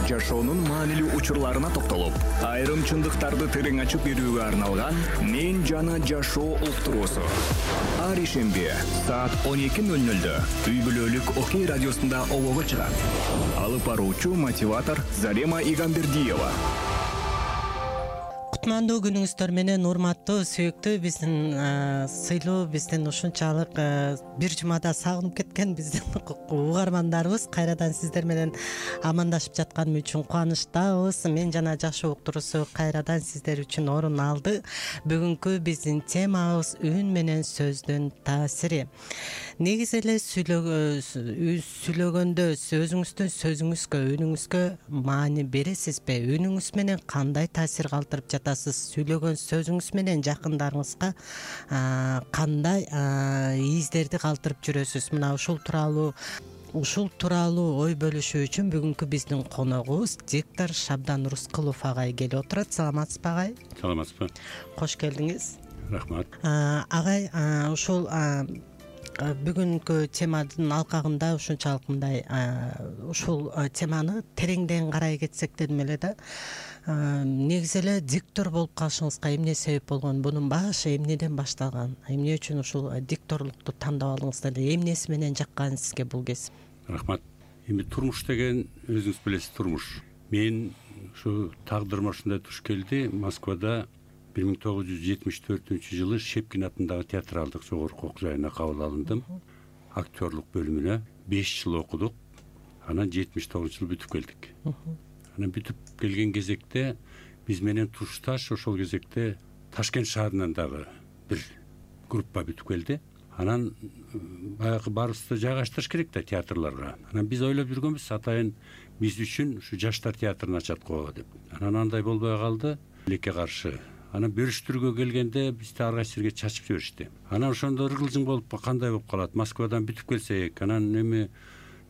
жашоонун маанилүү учурларына токтолуп, айрым чындыктарды терең ачып берүүгө арналган «Мен жана жашоо» уктуруусу. Ар ишемби саат 12:00 үй бүлөлүк Окей радиосунда обого чыгат. Алып баруучу мотиватор Зарема Игамбердиева. Кутмандуу күнүңүздөр менен, урматтуу, сүйүктүү биздин сыйлуу, биздин ушунчалык бир жумада сагынып кеткен биздин угармандарыбыз кайрадан сиздер менен амандашып жатканым үчүн кубанычтабыз. Мен жана жашоо уктуруусу кайрадан сиздер үчүн орун алды. Бүгүнкү биздин темабыз үн менен сөздүн таасири. Негизи эле сүйлөгөндө өзүңүздүн сөзүңүзгө, үнүңүзгө маани бересизби? Үнүңүз менен кандай таасир калтырып жатасыз? Сүйлөгөн сөзүңүз менен жакындарыңызга кандай издерди калтырып жүрөсүз? Мына ушул тууралуу ой бөлүшүү үчүн бүгүнкү биздин коногубуз диктор Шабдан Рускулов агай келип отурат. Саламатсызбы агай? Саламатсызбы. Кош келдиңиз. Рахмат. Агай, ушул бүгүнкү теманын алкагында ушунчалык мындай ушул теманы тереңден карай кетсек дедим эле да. Негизи эле диктор болуп калышыңызга эмне себеп болгон? Бунун башы эмнеден башталган? Эмне үчүн ушул дикторлукту тандап алдыңыздар? Эмнеси менен жаккан сизге бул кесип? Рахмат. Эми турмуш деген өзүңүз билесиз, турмуш. Мен ушу тагдырыма ушундай туш келди. Москвада 1974-жылы Шепкин атындагы театралдык жогорку окуу жайына кабыл алындым. Актерлук бөлүмүнө 5 жыл окудук. Анан 79-жылы бүтүп келдик. Анан бүтүп келген кезекте биз менен тушташ ошол кезекте Ташкент шаарынан дагы бир группа бүтүп келди. Анан баягы баарыбызды жайгаштырыш керек да театрларга. Анан биз ойлоп жүргөнбүз, атайын биз үчүн ушу жаштар театрын ачат го деп. Анан андай болбой калды, элекке каршы. Анан бөлүштүрүүгө келгенде бизди ар кайсы жерге чачып жиберишти. Анан ошондо ыргылжың болуп кандай болуп калат? Москвадан бүтүп келсек, анан эми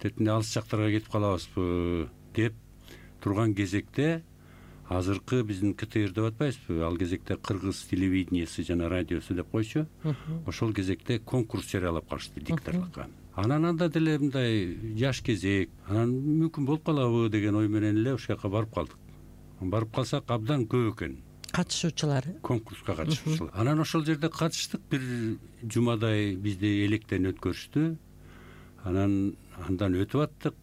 тетинде алыс жактарга кетип калабызбы деп турган кезекте азыркы биздин КТР деп атпайбызбы? Ал кезекте Кыргыз телевидениясы жана радиосу деп койчу. Ошол кезекте конкурс жарыялап калышты дикторлукка. Анан анда деле мындай жаш кезек, анан мүмкүн болуп калабы деген ой менен эле ошол жака барып калдык. Барып калсак абдан көп экен катышуучулары, конкурска катышуучулар. Анан ошол жерде катыштык, бир жумадай бизди электен өткөрүштү. Анан андан өтүп аттык.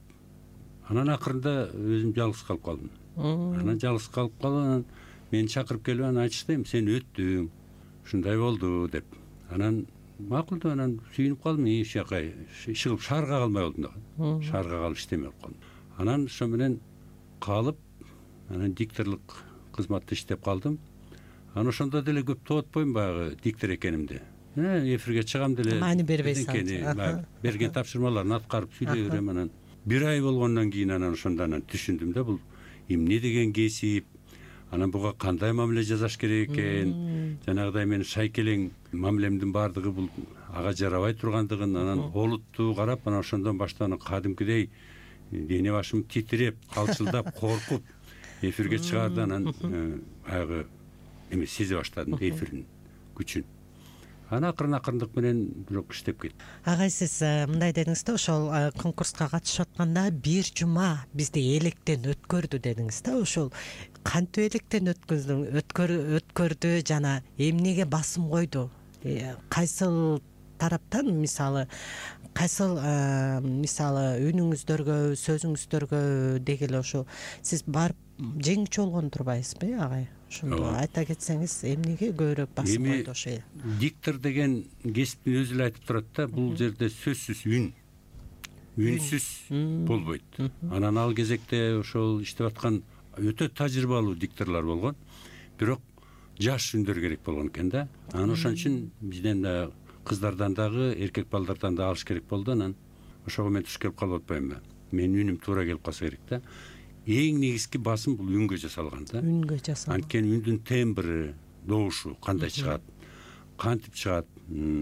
Анан акырында өзүм жалгыз калып калдым. Анан жалгыз калып анан мени чакырып келип анан айтышты, сен өттүң, ушундай болду деп. Анан макул деп анан сүйүнүп калдым. Иш жака иш кылып шаарга калмай болдум да. Шаарга калып иштемей калдым. Анан ошо менен калып, анан дикторлук кызматта иштеп калдым. Анан ошондо деле көп тоотпойм баягы диктор экенимди. Эфирге чыгам деле. Маани бербейсиз. Берген тапшырмаларын аткарып сүйлөй берем. Анан бир ай болгондон кийин анан ошондон түшүндүм да, бул эмне деген кесип, анан буга кандай мамиле жасаш керек экен. Жанагыдай мен шайкелең мамилемдин баардыгы бул ага жарабай тургандыгын анан олутту карап, анан ошондон баштап кадимкидей дене башым титиреп, калчылдап, коркуп эфирге чыгарды. Анан баягы эме сезе баштадым эфирдин күчүн. Анан акырындык менен бирок иштеп кеттим. Агай, сиз мындай дедиңиз да, ошол конкурска катышып атканда бир жума бизди электен өткөрдү дедиңиз да. Ошол кантип электен өткөрдү жана эмнеге басым койду? Кайсыл тараптан, мисалы үнүңүздөргө, сөзүңүздөргө дегеле ошо сиз барып жеңүүчү болгон турбайсызбы, агай? Ошондо айта кетсеңиз, эмнеге көбүрөөк басым койду ошо? Диктор деген кесиптин өзү эле айтып турат да, бул жерде сөзсүз үнсүз болбойт. Анан ал кезекте ошол иштеп аткан өтө тажрыйбалуу дикторлор болгон, бирок жаш үндөр керек болгон экен да. Анан ошон үчүн бизден да кыздардан дагы, эркек балдардан да алыш керек болду. Анан ошого мен туш келип калып атпаймынбы? Менин үнүм туура келип калса керек да. Эң негизги басым бул үнгө жасалган да. Үнгө жасалган. Анткени үндүн тембри, добушу кандай чыгат, кантип чыгат.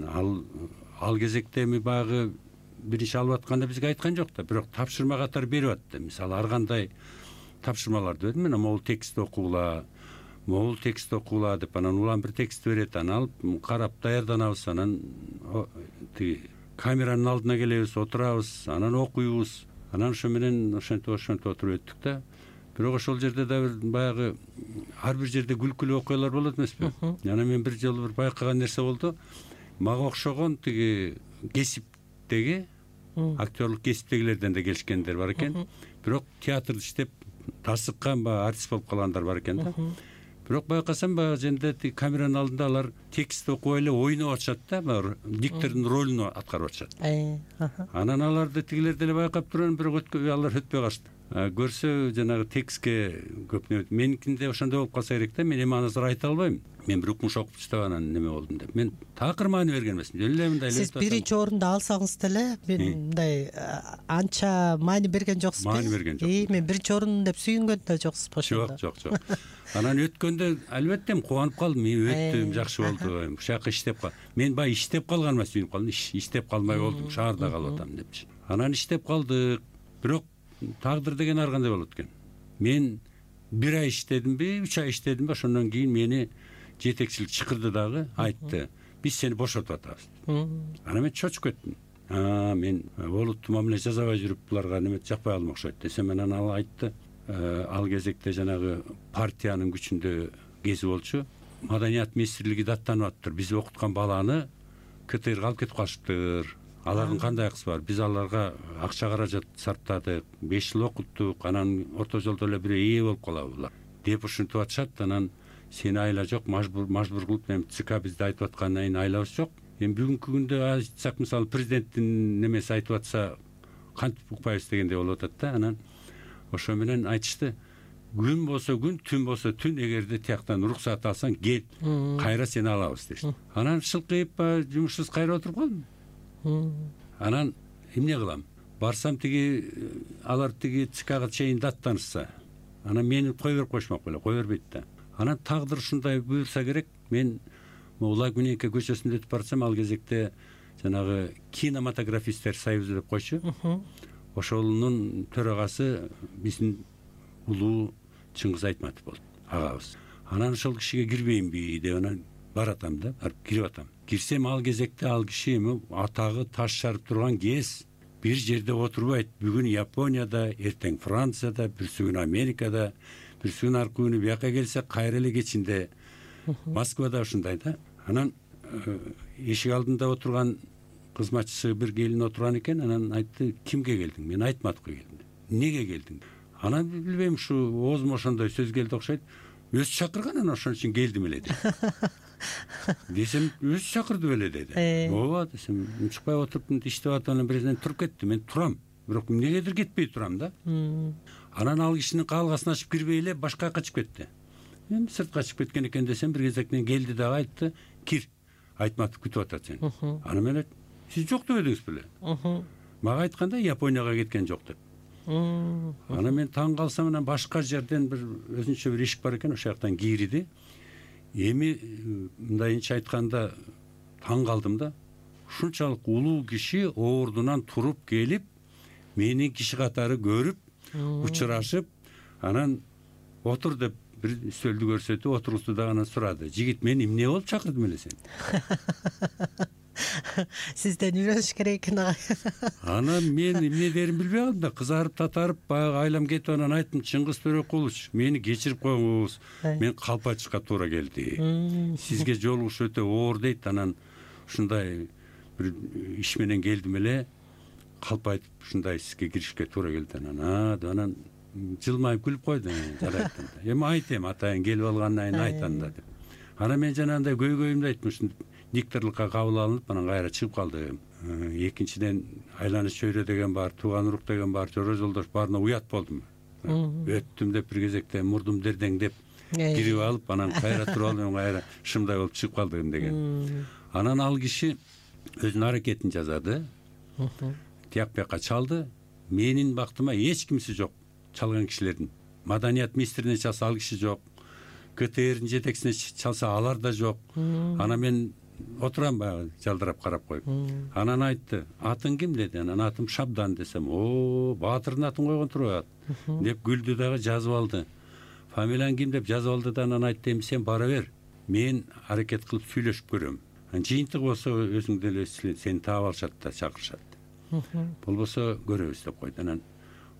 Ал кезекте эми баягы биринчи алып атканда бизге айткан жок да, бирок тапшырма катары берип атты. Мисалы, ар кандай тапшырмаларды берди. Мен могул текст окугула деп, анан улам бир текст берет, анан алып карап даярданабыз. Анан камеранын алдына келебиз, отурабыз, анан окуйбуз. Анан ошо менен ошентип отуруп өттүк да. бирок ошол жерде да бир баягы ар бир жерде күлкүлүү окуялар болот эмеспи. Анан мен бир жолу бир байкаган нерсе болду. Мага окшогон тиги кесиптеги актерлук кесиптегилерден да келишкендер бар экен. Бирок театрда иштеп тасыккан баягы артист болуп калгандар бар экен да. Бирок байкасам баягы жерде камеранын алдында алар текст окуп эле ойноп атышат да, баягы диктордун ролун аткарып атышат. Анан аларды тигилер деле байкап турган, бирок алар өтпөй калышты. Көрсө жанагы текстке көп меникинде ошондой болуп калса керек да. Мен эми анысыр айта албайм. Мен бир укмуш окуп иштеп анан неме болдум деп. Мен такыр маани берген эмесмин. Эле мындай эле. Сиз биринчи орунду алсаңыз деле мындай анча маани берген жоксузбу? Маани берген жокмун. Мен биринчи орун деп сүйүнгөн да жоксузбу ошондо? Жок. Анан өткөндө албетте кубанып калдым. Өттү, жакшы болду. Ушул жака иштеп кал. Мен баягы иштеп калганыма сүйүнүп калдым. Иштеп калмай болдум, шаарда калып атам депчи. Анан иштеп калдык. Бирок тагдыр деген ар кандай болот экен. Мен 1 ай иштедимби, 3 ай иштедимби, ошондон кийин мени жетекчилик чакырды дагы, айтты: "Биз сени бошотуп атабыз." Анан мен чочуп кеттим. Мен олуттуу мамиле жасабай жүрүп буларга неме жакпай калдым окшойт десем, анан ал айтты, ал кезекте жанагы партиянын күчүндө кези болчу. Маданият министрлиги даттанып аттыр. Биз окуткан баланы КТРга алып кетип калышыптыр. Алардын кандай акысы бар? Биз аларга акча каражат сарптадык, 5 жыл окуттук, анан орто жолдо эле бир ээ болуп калабы булар деп ушинтип атышат. Анан сени айла жок, мажбур кылып эми ЦК бизде айтып аткандан кийин айлабыз жок. Эми бүгүнкү күндө айтсак, мисалы президенттин немеси айтып атса кантип укпайбыз дегендей болуп атат да. Анан ошо менен айтышты: "Күн болсо күн, түн болсо түн, эгерде тияктан уруксат алсаң кел, кайра сени алабыз" дешти. Анан шылкыйып жумушсуз кайра отуруп калдым. Анан эмне кылам? Барсам алар ЦКга чейин даттанышса, анан мени кой берип койшмок беле, кой бербейт да. Анан тагдыр ушундай буйрса керек. Мен Улай Күнөйкө көчөсүндө өтүп барсам, ал кезекте жанагы кинематографисттер союзу деп койчу. Ошонун төрагасы биздин улуу Чыңгыз Айтматов болду, агабыз. Анан ошол кишиге кирбеймби деп анан баратам да, кирип атам. Кирсем, ал кезекте ал киши эми атагы таш шарып турган кез бир жерде отурбайт. Бүгүн Японияда, эртең Францияда, бүрсү күнү Америкада, бүрсү күнү аркы күнү бияка келсе, кайра эле кечинде Москвада ушундай да. Анан эшик алдында отурган кызматчысы бир келин отурган экен. Анан айтты: "Кимге келдиң?" Мен Айтматовго келдим. "Неге келдиң?" Анан билбейм, ушу оозума ошондой сөз келди окшойт. "Өзү чакырган, анан ошон үчүн келдим эле" деди. Десем, "Өзү чакырды беле" деди. "Ооба" десем, "Чыкпай отуруп иштеп атам, анан бирден туруп кетти. Мен турам, бирок эмнегедир кетпей турам да." Анан ал кишинин каалгасын ачып кирбей эле башка жака чыгып кетти. Мен сыртка чыгып кеткен экен десем, бир кезектен келди дагы айтты: "Кир, Айтматов күтүп атат сени." Анан мен айттым: "Сиз жок деп эдиңиз беле?" Мага айтканда Японияга кеткен жок деп. Анан мен таң калсам, анан башка жерден бир өзүнчө бир ишик бар экен, ошол жактан кириди. Эми мындайынча айтканда таң калдым да. Ушунчалык улуу киши ордунан туруп келип, мени киши катары көрүп, учурашып, анан отур деп бир стөлдү көрсөтүп отургузду да анан сурады: "Жигит, мен эмне болуп чакырдым эле сени?" Сизден үйрөнүш керек экен ага. Анан мен эмне дерин билбей калдым да, кызарып татарып баягы айлам кетип, анан айттым: "Чыңгыз Төрөкулович, мени кечирип коюңуз. Мен калпачыкка туура келди. Сизге жолугуш өтө оор" дейт. Анан ушундай бир иш менен келдим эле, калп айтып ушундай сизге киришке туура келди. Анан жылмайып күлүп койду. Жарайт да. "Эми айт, эми атайын келип алгандан кийин айт анда" деп. Анан мен жанагындай көйгөйүмдү айттым. Дикторлукка кабыл алынып, анан кайра чыгып калдым. Экинчиден айланыш чөйрө деген бар, тууган урук деген бар, жора жолдош баарына уят болдум. Өттүм деп бир кезекте мурдум дердеңдеп кирип алып, анан кайра туруп алып, кайра шымдай болуп чыгып калдым деген. Анан ал киши өзүнүн аракетин жасады. Тияк бияка чалды. Менин бактыма эч кимси жок чалган кишилердин. Маданият министрине чалса ал киши жок. КТРдин жетекчисине чалса алар да жок. Анан мен отурам баягы жалдырап карап коюп. Анан айтты: "Атың ким?" деди. Анан атым Шабдан десем, "О, баатырдын атын койгон турат" деп күлдү дагы, жазып алды. "Фамилияң ким?" деп жазып алды да анан айтты: "Эми сен бара бер. Мен аракет кылып сүйлөшүп көрөм. Жыйынтык болсо өзүң деле сени таап алышат да чакырышат. Болбосо көрөбүз" деп койду. Анан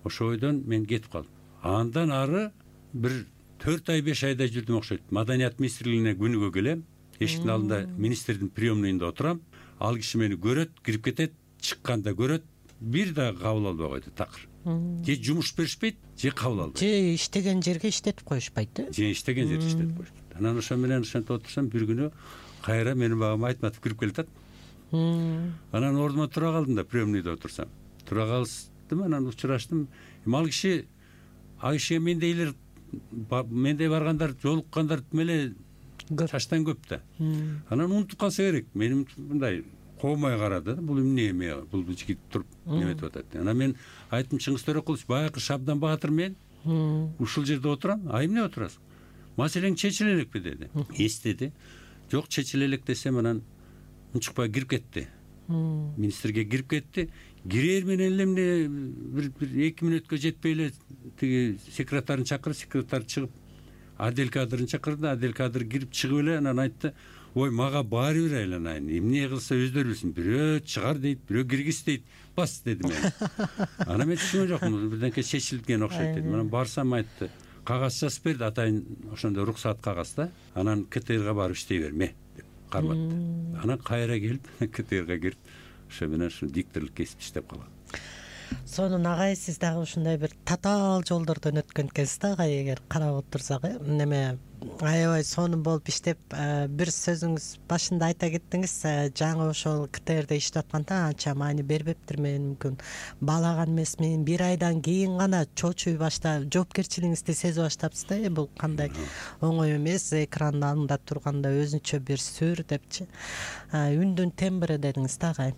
ошол ойдон мен кетип калдым. Андан ары бир 4 ай 5 айда жүрдүм окшойт. Маданият министрлигине күнүгө келем. Эшиктин алдында министрдин приемныйында отурам. Ал киши мени көрөт, кирип кетет, чыкканда көрөт, бир да кабыл албай койду такыр. Же жумуш беришпейт, же кабыл албайт. Же иштеген жерге иштетип коюшпайт, Же иштеген жерге иштетип коюшпайт. Анан ошо менен ошентип отурсам, бир күнү кайра менин багыма айтматып кирип келатат. Анан ордума тура калдым да, приемныйда отурсам. Тура калдым, анан учураштым. Ал киши, кишиге мендей баргандар, жолуккандар эле чачтан көп да. Анан унутуп калса керек. Менин мындай коомай карады. Бул эмне эме? Бул жигит туруп неметип атат. Анан мен айттым, Чыңгыз Төрөкулович, баягы Шабдан Баатыр мен ушул жерде отурам. Эмне отурасың? Маселең чечиле элекпи деди. Эстеди. Жок, чечиле элек десем, анан унчукпай кирип кетти. Министрге кирип кетти. Кирер менен эле эмне бир 2 мүнөткө жетпей эле тиги секретарын чакырып, секретар чыгып, Адел кадрын чакырды. Адел кадр кирип чыгып эле анан айтты: "Ой, мага баары бир айланайын. Эмне кылса өздөрү билсин. Бирөө чыгар дейт, бирөө киргиз дейт. Бас" деди мен. Анан мен түшүнгөн жокмун. Бирденке чечилген окшойт дедим. Анан барсам айтты: "Кагаз жазып берди, атайын ошондой уруксат кагаз да. Анан КТРга барып иштей берме" деп карматты. Анан кайра келип КТРга кирип, ошо менен ушу дикторлук кесип иштеп калгам. Сонун агай, сиз дагы ушундай бир татаал жолдордон өткөн экенсиз да агай, эгер карап отурсак, неме аябай сонун болуп иштеп, бир сөзүңүз башында айта кеттиңиз, жаңы ошол КТРде иштеп атканда анча маани бербептир, мен мүмкүн баалаган эмесмин. 1 айдан кийин гана чочуй баштап, жоопкерчилигиңизди сезип баштапсыз да. Бул кандай оңой эмес, экрандын алдында турганда өзүнчө бир сүр депчи. Үндүн тембри дедиңиз да агай.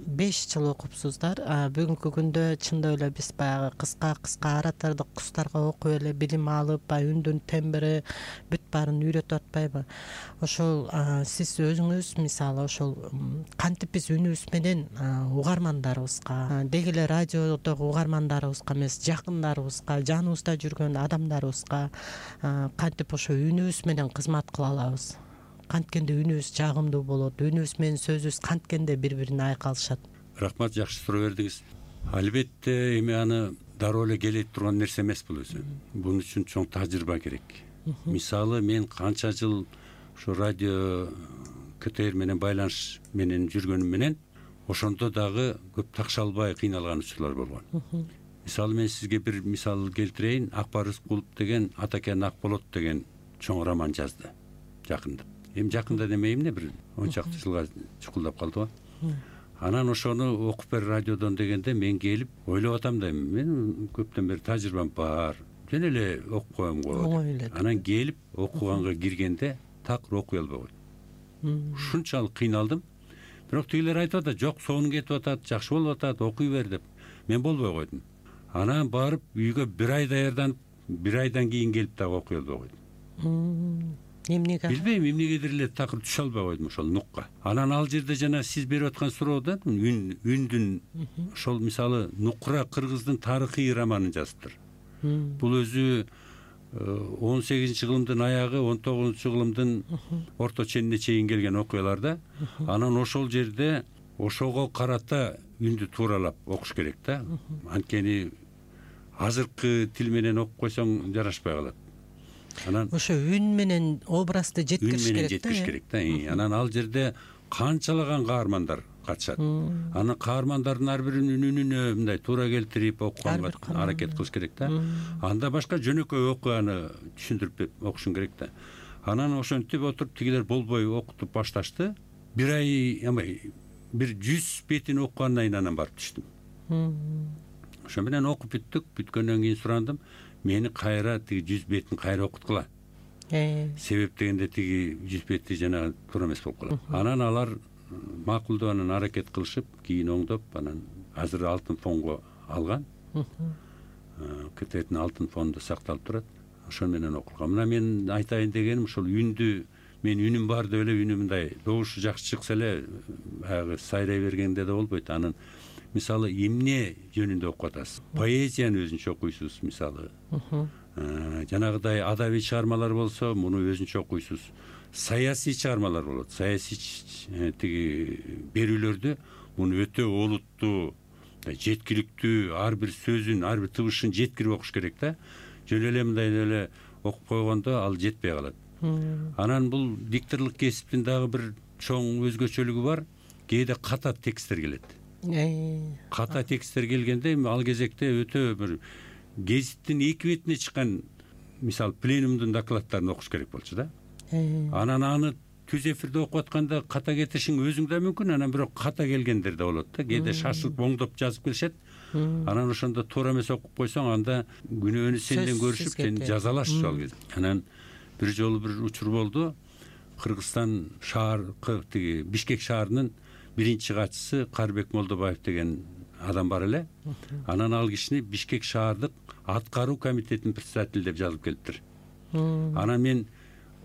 5 жыл окупсуздар. Бүгүнкү күндө чындап эле биз баягы кыска аратырдык курстарга окуп эле билим алып, үндүн тембри бүт баарын үйрөтүп атпайбы? Ошол сиз өзүңүз мисалы ошол кантип биз үнүбүз менен угармандарыбызга, деги эле радиодогу угармандарыбызга эмес, жакындарыбызга, жаныбызда жүргөн адамдарыбызга кантип ошо үнүбүз менен кызмат кыла алабыз? Канткенде үнүбүз жагымдуу болот, үнүбүз менен сөзүбүз канткенде бири-бирине айкалышат? Рахмат, жакшы суроо бердиңиз. Албетте эми аны дароо эле келе турган нерсе эмес бул өзү. Бунун үчүн чоң тажрыйба керек. Мисалы, мен канча жыл ошо радио КТР менен байланыш менен жүргөнүм менен ошондо дагы көп такша албай кыйналган учурлар болгон. Мисалы, мен сизге бир мисал келтирейин. Акбар Рыскулов деген Атакен Акболот деген чоң роман жазды жакында. Эми жакында демей эмне, бир 10 чакты жылга чукулдап калды го. Анан ошону окуп бер радиодон дегенде мен келип ойлоп атам да, мен көптөн бери тажрыйбам бар, жөн эле окуп коем го. Анан келип окуганга киргенде такыр окуй албай койдум. Ушунчалык кыйналдым. Бирок тигилер айтып атат: "Жок, сонун кетип атат, жакшы болуп атат, окуй бер" деп. Мен болбой койдум. Анан барып үйгө 1 ай даярданып, 1 айдан кийин келип дагы окуй албай койдум. Эмнеге? Билбейм, эмнегедир эле такыр түшө албай койдум ошол нукка. Анан ал жерде жана сиз берип аткан суроодо үндүн ошол мисалы Нукура кыргыздын тарыхый романын жазыптыр. Бул өзү 18 кылымдын аягы, 19 кылымдын орто ченине чейин келген окуяларда. Анан ошол жерде ошого карата үндү тууралап окуш керек да. Анткени азыркы тил менен окуп койсоң жарашпай калат. Анан ошо үн менен образды жеткириш керек да. Анан ал жерде канчалаган каармандар катышат. Анан каармандардын ар биринин үнүнө мындай туура келтирип окуганга аракет кылыш керек да. Анда башка жөнөкөй окуяны түшүндүрүп окушуң керек да. Анан ошентип отуруп тигилер болбой окутуп башташты. 1 ай, бир 100 бетин окугандан кийин анан барып түштүм. Ошо менен окуп бүттүк. Бүткөндөн кийин сурандым: "Мени кайра тиги 100 бетин кайра окуткыла. Себеп дегенде тиги 100 бети жана туура эмес болуп калат." Анан алар макулдап анан аракет кылышып, кийин оңдоп, анан азыр алтын фонго алган. КТРдин алтын фонунда сакталып турат. Ошо менен окулган. Мына мен айтайын дегеним ошол үндү, мен үнүм бар деп эле үнүм мындай добушу жакшы чыкса эле баягы сайрай бергенде да болбойт. Анан мисалы эмне жөнүндө окуп атасыз? Поэзияны өзүнчө окуйсуз мисалы. Жанагыдай адабий чыгармалар болсо, муну өзүнчө окуйсуз. Саясий чыгармалар болот. Саясий тиги берүүлөрдү муну өтө олуттуу жеткиликтүү, ар бир сөзүн, ар бир табышын жеткирип окуш керек да. Жөн эле мындай эле окуп койгондо ал жетпей калат. Анан бул дикторлук кесиптин дагы бир чоң өзгөчөлүгү бар. Кээде ката тексттер келет. Ката тексттер келгенде ал кезекте өтө бир гезиттин эки бетине чыккан, мисалы, пленумдун докладдарын окуш керек болчу да. Анан аны түз эфирде окуп атканда ката кетишиң өзүң да мүмкүн, анан бирок ката келгендер да болот да. Кээде шашылып оңдоп жазып келишет. Анан ошондо туура эмес окуп койсоң, анда күнөөнү сенден көрүшүп, сени жазалашчу ал кезде. Анан бир жолу бир учур болду. Кыргызстан шааркы, тиги Бишкек шаарынын биринчи катчысы Карбек Молдобаев деген адам бар эле. Анан ал кишини Бишкек шаардык аткаруу комитетинин председатели деп жазып келиптир. Анан мен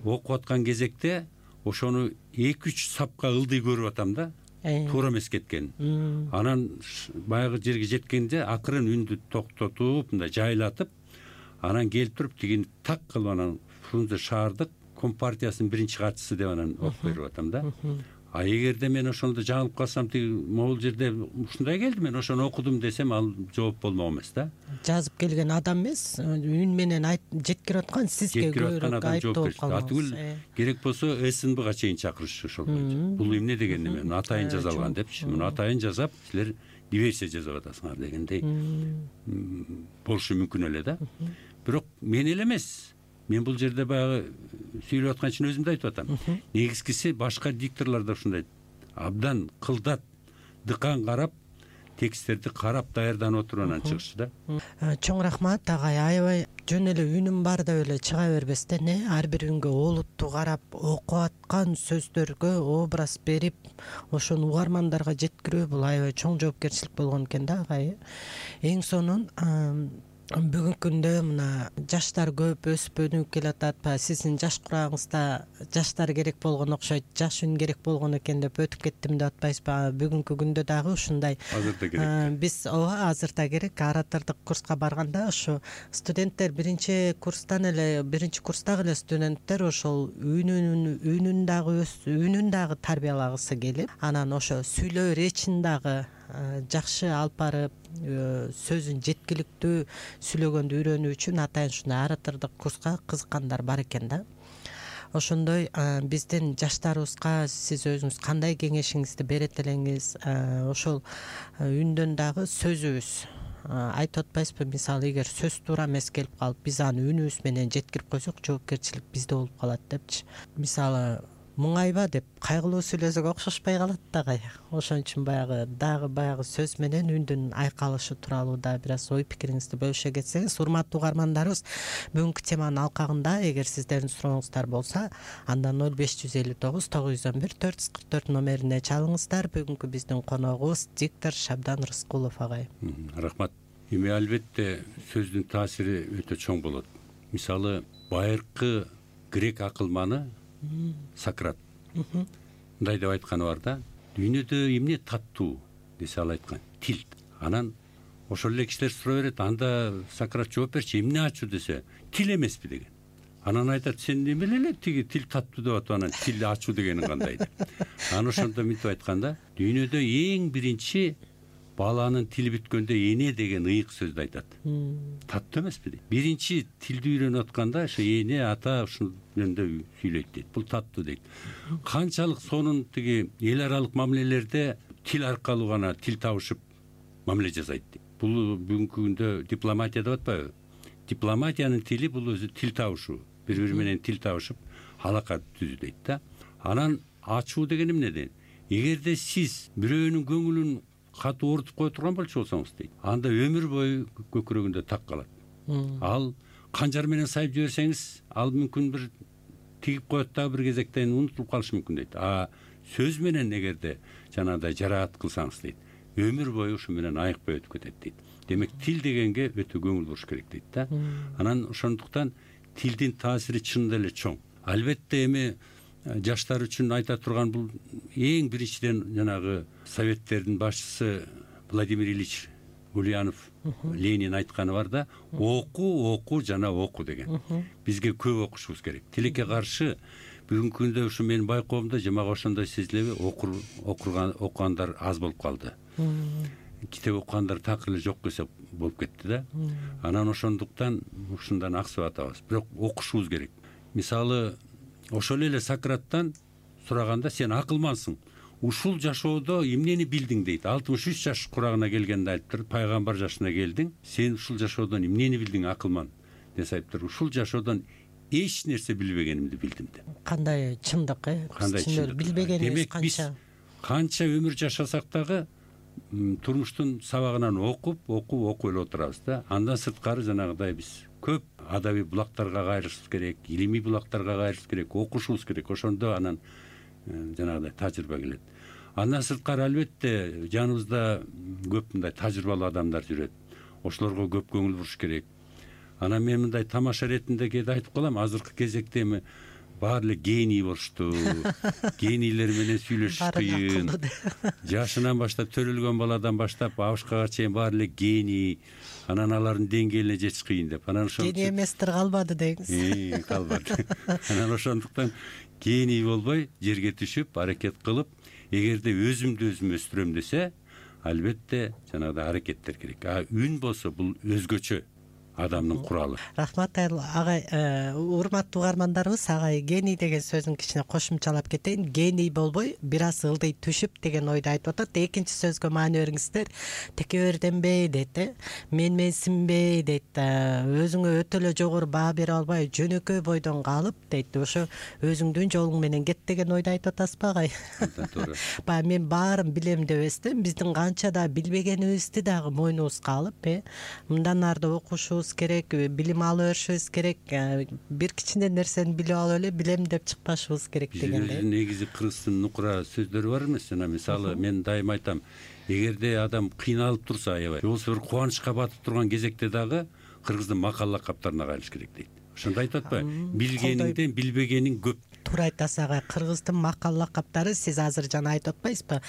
окуп аткан кезекте ошону 2-3 сапка ылдый көрүп атам да. Туура эмес кеткен. Анан баягы жерге жеткенде акырын үндү токтотуп, мындай жайлатып, анан келип туруп тигини так кылып, анан Фрунзе шаардык компартиясынын биринчи катчысы деп анан окуп берип атам да. А эгерде мен ошондо жаңылып калсам, тиги могул жерде ушундай келди, мен ошону окудум десем, ал жооп болмок эмес да. Жазып келген адам эмес, үн менен жеткирип аткан сизге көбүрөөк айыптоо болуп калат. Атүгүл керек болсо СНБга чейин чакырышчу ошол боюнча. Бул эмне деген эме, атайын жазалган депчи. Муну атайын жасап, силер диверсия жасап атасыңар дегендей болушу мүмкүн эле да. Бирок мен эле эмес. Мен бул жерде баягы сүйлөп аткан үчүн өзүм да айтып атам. Негизгиси башка дикторлор да ушундай абдан кылдат, дыкан карап, тексттерди карап даярданып отуруп анан чыгышчу да. Чоң рахмат агай, аябай жөн эле үнүм бар деп эле чыга бербестен, ар бир үнгө олуттуу карап, окуп аткан сөздөргө образ берип, ошону угармандарга жеткирүү бул аябай чоң жоопкерчилик болгон экен да агай. Эң сонун бүгүнкү күндө мына жаштар көп өсүп өнүгүп келатат. Сиздин жаш курагыңызда жаштар керек болгон окшойт, жаш үн керек болгон экен деп өтүп кеттим деп атпайсызбы? Бүгүнкү күндө дагы ушундай азырда керек. Биз азырда керек. Оратордук курска барганда ушу студенттер биринчи курстагы эле студенттер ошол үнүн дагы тарбиялагысы келип, анан ошо сүйлөө речин дагы жакшы алып барып, сөзүн жеткиликтүү сүйлөгөндү үйрөнүү үчүн атайын ушундай оратордук курска кызыккандар бар экен да. Ошондой биздин жаштарыбызга сиз өзүңүз кандай кеңешиңизди берет элеңиз? Ошол үндөн дагы сөзүбүз айтып атпайсызбы? Мисалы, эгер сөз туура эмес келип калып, биз аны үнүбүз менен жеткирип койсок, жоопкерчилик бизде болуп калат депчи. Мисалы, муңайба деп кайгылуу сүйлөсөк окшошпой калат дагы. Ошон үчүн баягы сөз менен үндүн айкалышы тууралуу да бир аз ой пикириңизди бөлүшө кетсеңиз. Урматтуу угармандарыбыз, бүгүнкү теманын алкагында эгер сиздердин сурооңуздар болсо, анда 0559 911 444 номерине чалыңыздар. Бүгүнкү биздин коногубуз диктор Шабдан Рыскулов агай. Рахмат. Эми албетте сөздүн таасири өтө чоң болот. Мисалы, байыркы грек акылманы Сократ мындай деп айтканы бар да. Дүйнөдө эмне таттуу десе, ал айткан тил. Анан ошол эле кишилер суроо берет, анда Сократ жооп берчи, эмне ачуу десе, тил эмеспи деген. Анан айтат, сен эмне эле тиги тил таттуу деп атып, анан тил ачуу дегениң кандай деп. Анан ошондо мынтип айтканда, дүйнөдө эң биринчи баланын тили бүткөндө эне деген ыйык сөздү айтат. Таттуу эмеспи дейт. Биринчи тилди үйрөнүп атканда ошо эне, ата ушул жөнүндө сүйлөйт дейт. Бул таттуу дейт. Канчалык сонун тиги эл аралык мамилелерде тил аркылуу гана тил табышып мамиле жасайт дейт. Бул бүгүнкү күндө дипломатия деп атпайбы? Дипломатиянын тили бул өзү тил табышуу. Бири-бири менен тил табышып алака түзүү дейт да. Анан ачуу деген эмне дейт? Эгерде сиз бирөөнүн көңүлүн катуу оорутуп кое турган болчу болсоңуз дейт, анда өмүр бою көкүрөгүндө так калат. Ал канжар менен сайып жиберсеңиз, ал мүмкүн бир тигип коет дагы, бир кезектен унутулуп калышы мүмкүн дейт. Сөз менен эгерде жанагындай жараат кылсаңыз дейт, өмүр бою ушу менен айыкпай өтүп кетет дейт. Демек, тил дегенге өтө көңүл буруш керек дейт да. Анан ошондуктан тилдин таасири чынында эле чоң. Албетте эми жаштар үчүн айта турган бул эң биринчиден жанагы советтердин башчысы Владимир Ильич Ульянов, Ленин айтканы бар да, оку жана оку деген. Бизге көп окушубуз керек. Тилекке каршы бүгүнкү күндө ушу менин байкоомдо жамак ошондой сезилеби, окугандар аз болуп калды. китеп окугандар так эле жок десек болуп кетти да. Анан ошондуктан ушундан аксып атабыз. Бирок окушубуз керек. Мисалы ошол эле Сократтан сураганда сен акылмансың, ушул жашоодо эмнени билдиң дейт. 63 жаш курагына келгенде айтыптыр, пайгамбар жашына келдиң, сен ушул жашоодон эмнени билдиң, акылман десе айтыптыр, ушул жашоодон эч нерсе билбегенимди билдим деп. Кандай чындык, Кандай чындык. билбегенибиз Демек биз канча өмүр жашасак дагы турмуштун сабагынан окуп эле отурабыз да. Андан сырткары жанагыдай биз көп адабий булактарга кайрылышыбыз керек, илимий булактарга кайрылышыбыз керек, окушубуз керек. Ошондо анан жанагыдай тажрыйба келет. Андан сырткары албетте жаныбызда көп мындай тажрыйбалуу адамдар жүрөт. Ошолорго көп көңүл буруш керек. Анан мен мындай тамаша иретинде кээде айтып калам, азыркы кезекте эми баары эле гений болушту. Генийлер менен сүйлөшүш кыйын. Жашынан баштап төрөлгөн баладан баштап абышкага чейин баары эле гений. Анан алардын деңгээлине жетиш кыйын деп. Анан ошо гений эместир калбады деңиз. Калбады. Анан ошондуктан гений болбой жерге түшүп, аракет кылып, эгерде өзүмдү өзүм өстүрөм десе, албетте жанагыдай аракеттер керек. Үн болсо бул өзгөчө адамдын куралы. Рахмат агай, урматтуу угармандарыбыз, агай гений деген сөзүн кичине кошумчалап кетейин. Гений болбой, бир аз ылдый түшүп деген ойду айтып атат. Экинчи сөзгө маани бериңиздер. Текеберденбей дейт, менсинбей дейт, өзүңө өтө эле жогору баа бере албай, жөнөкөй бойдон калып дейт. Ошо өзүңдүн жолуң менен кет деген ойду айтып атасызбы агай? Туура. Баягы мен баарын билем деп эстем, биздин канча да билбегенибизди дагы мойнубузга алып, мындан арды окушубуз керек, билим алып беришибиз керек, бир кичине нерсени билип алып эле билем деп чыкпашыбыз керек дегендей. Биздин негизи кыргыздын нукура сөздөрү бар эмес, жана мисалы мен дайыма айтам, эгерде адам кыйналып турса, аябай, же болбосо бир кубанычка батып турган кезекте дагы кыргыздын макал лакаптарына кайрылыш керек дейт. Ошондо айтып атпайбы? Билгениңден билбегениң көп. Туура айтасыз агай, кыргыздын макал лакаптары, сиз азыр жана айтып атпайсызбы?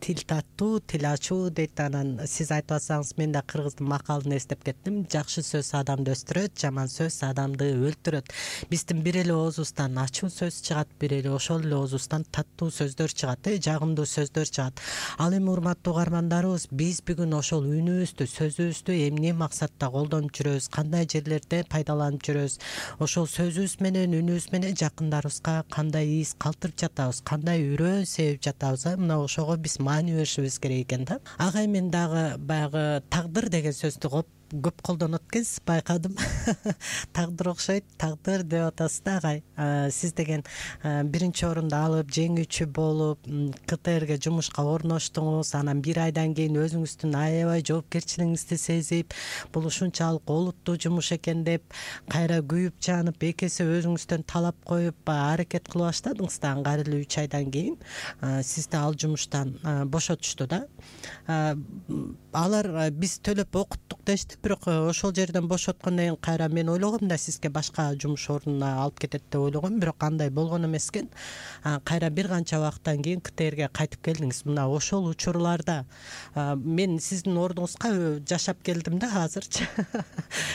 Тил таттуу, тил ачуу дейт. Анан сиз айтып атсаңыз, мен да кыргыздын макалын эстеп кеттим. Жакшы сөз адамды өстүрөт, жаман сөз адамды өлтүрөт. Биздин бир эле оозубуздан ачуу сөз чыгат, бир эле ошол эле оозубуздан таттуу сөздөр чыгат, жагымдуу сөздөр чыгат. Ал эми урматтуу угармандарыбыз, биз бүгүн ошол үнүбүздү, сөзүбүздү эмне максатта колдонуп жүрөбүз, кандай жерлерде пайдаланып жүрөбүз, ошол сөзүбүз менен, үнүбүз менен жакындарыбызга кандай из калтырып жатабыз, кандай үрөө себип жатабыз, мына ошого биз маани беришибиз керек экен да. Агай, мен дагы баягы тагдыр деген сөздү көп колдонот экенсиз, байкадым. Тагдыр окшойт, тагдыр деп атасыз да агай. Сиз деген биринчи орунду алып, жеңүүчү болуп, КТРге жумушка орноштуңуз, анан бир айдан кийин өзүңүздүн аябай жоопкерчилигиңизди сезип, бул ушунчалык олуттуу жумуш экен деп, кайра күйүп жанып, эки эсе өзүңүздөн талап коюп аракет кылып баштадыңыз да, аңгары эле 3 айдан кийин сизди ал жумуштан бошотушту да. Алар биз төлөп окуттук дешти, бирок ошол жерден бошоткондон кийин кайра мен ойлогом да, сизге башка жумуш ордуна алып кетет деп ойлогом, бирок андай болгон эмес экен. Кайра бир канча убакыттан кийин КТРге кайтып келдиңиз. Мына ошол учурларда мен сиздин ордуңузга жашап келдим да азырчы.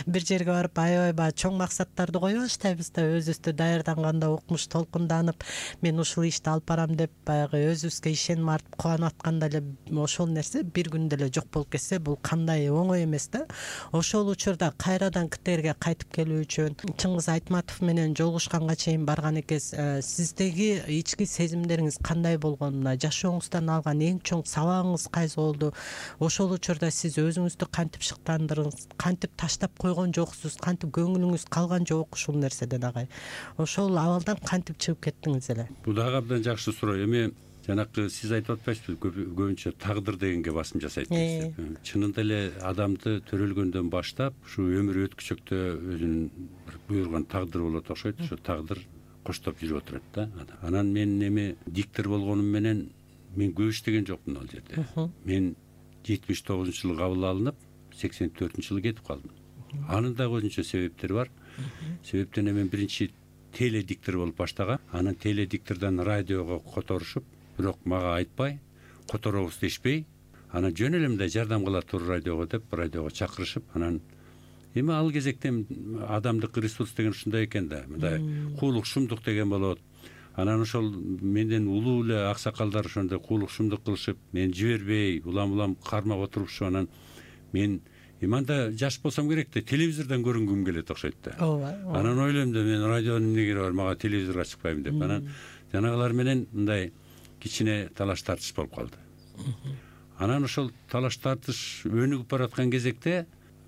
Бир жерге барып аябай чоң максаттарды коюп баштайбыз да, өзүбүздү даярданганда укмуш толкунданып, мен ушул ишти алып барам деп баягы өзүбүзгө ишеним артып кубанып атканда эле ошол нерсе бир күндө эле жок болуп кетсе, бул кандай оңой эмес да. Ошол учурда кайрадан КТРге кайтып келүү үчүн Чыңгыз Айтматов менен жолугушканга чейин барган экенсиз. Сиздеги ички сезимдериңиз кандай болгон? Жашооңуздан алган эң чоң сабагыңыз кайсы болду? Ошол учурда сиз өзүңүздү кантип шыктандырдыңыз? Кантип таштап койгон жоксуз? Кантип көңүлүңүз калган жок ушул нерседен агай? Ошол абалдан кантип чыгып кеттиңиз эле? Бул дагы абдан жакшы суроо. Эми жанакы сиз айтып атпайсызбы, көбүнчө тагдыр дегенге басым жасайт дейсиз. Чынында эле адамды төрөлгөндөн баштап ушу өмүр өткүчөктө өзүнүн бир буйруган тагдыры болот окшойт. Ошо тагдыр коштоп жүрүп отурат да. Анан мен эми диктор болгонум менен мен көп иштеген жокмун ал жерде. Мен 79-жылы кабыл алынып, 84-жылы кетип калдым. Анын дагы өзүнчө себептери бар. Себептен мен биринчи теледиктор болуп баштагам. Анан теледиктордон радиого которушуп, бирок мага айтпай, которобуз дешпей, анан жөн эле мындай жардам кыла тур радиого деп радиого чакырышып, анан эми ал кезекте адамдык ресурс деген ушундай экен да, мындай куулук, шумдук деген болот. Анан ошол менден улуу эле аксакалдар ошондой куулукчумдук кылышып, мени жибербей улам кармап отурушуп, анан мен мында жаш болсом керек да, телевизордон көрүнгүм келет окшойт да. ооба. Анан ойлойм да, мен радионун эмне кереги бар, мага телевизорго чыкпайм деп. Анан жанагылар менен мындай кичине талаш тартыш болуп калды. Анан ошол талаш тартыш өнүгүп бараткан кезекте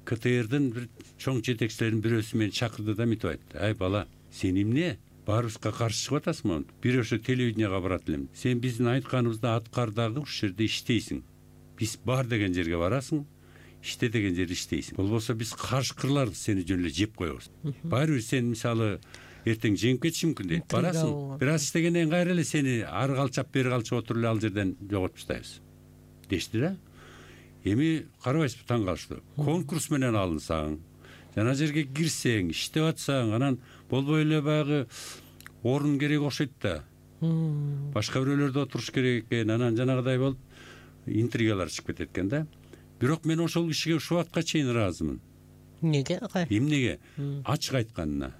КТРдин бир чоң жетекчилеринин бирөөсү мени чакырды да мынтип айтты: ай бала, сен эмне баарыбызга каршы чыгып атасыңбы? Бир ошо телевиденияга барат элем. Сен биздин айтканыбызды аткар дагы, ушул жерде иштейсиң. Биз бар деген жерге барасың, иште деген жерде иштейсиң. Болбосо биз каршыкырлар сени жөн эле жеп коебуз. Баары бир сен мисалы эртең жеңип кетиши мүмкүн дейт. Барасың, бир аз иштегенден кийин кайра эле сени ары калчап бери калчап отуруп эле ал жерден жоготуп таштайбыз дешти да. Эми карабайсызбы, таң калыштуу. Конкурс менен алынсаң, жана жерге кирсең, иштеп атсаң, анан болбой эле баягы орун керек окшойт да. Башка бирөөлөрдө отуруш керек экен, анан жанагыдай болуп интригалар чыгып кетет экен да. Бирок мен ошол кишиге ушул убакка чейин ыраазымын. Эмнеге? Эмнеге? Ачык айтканына.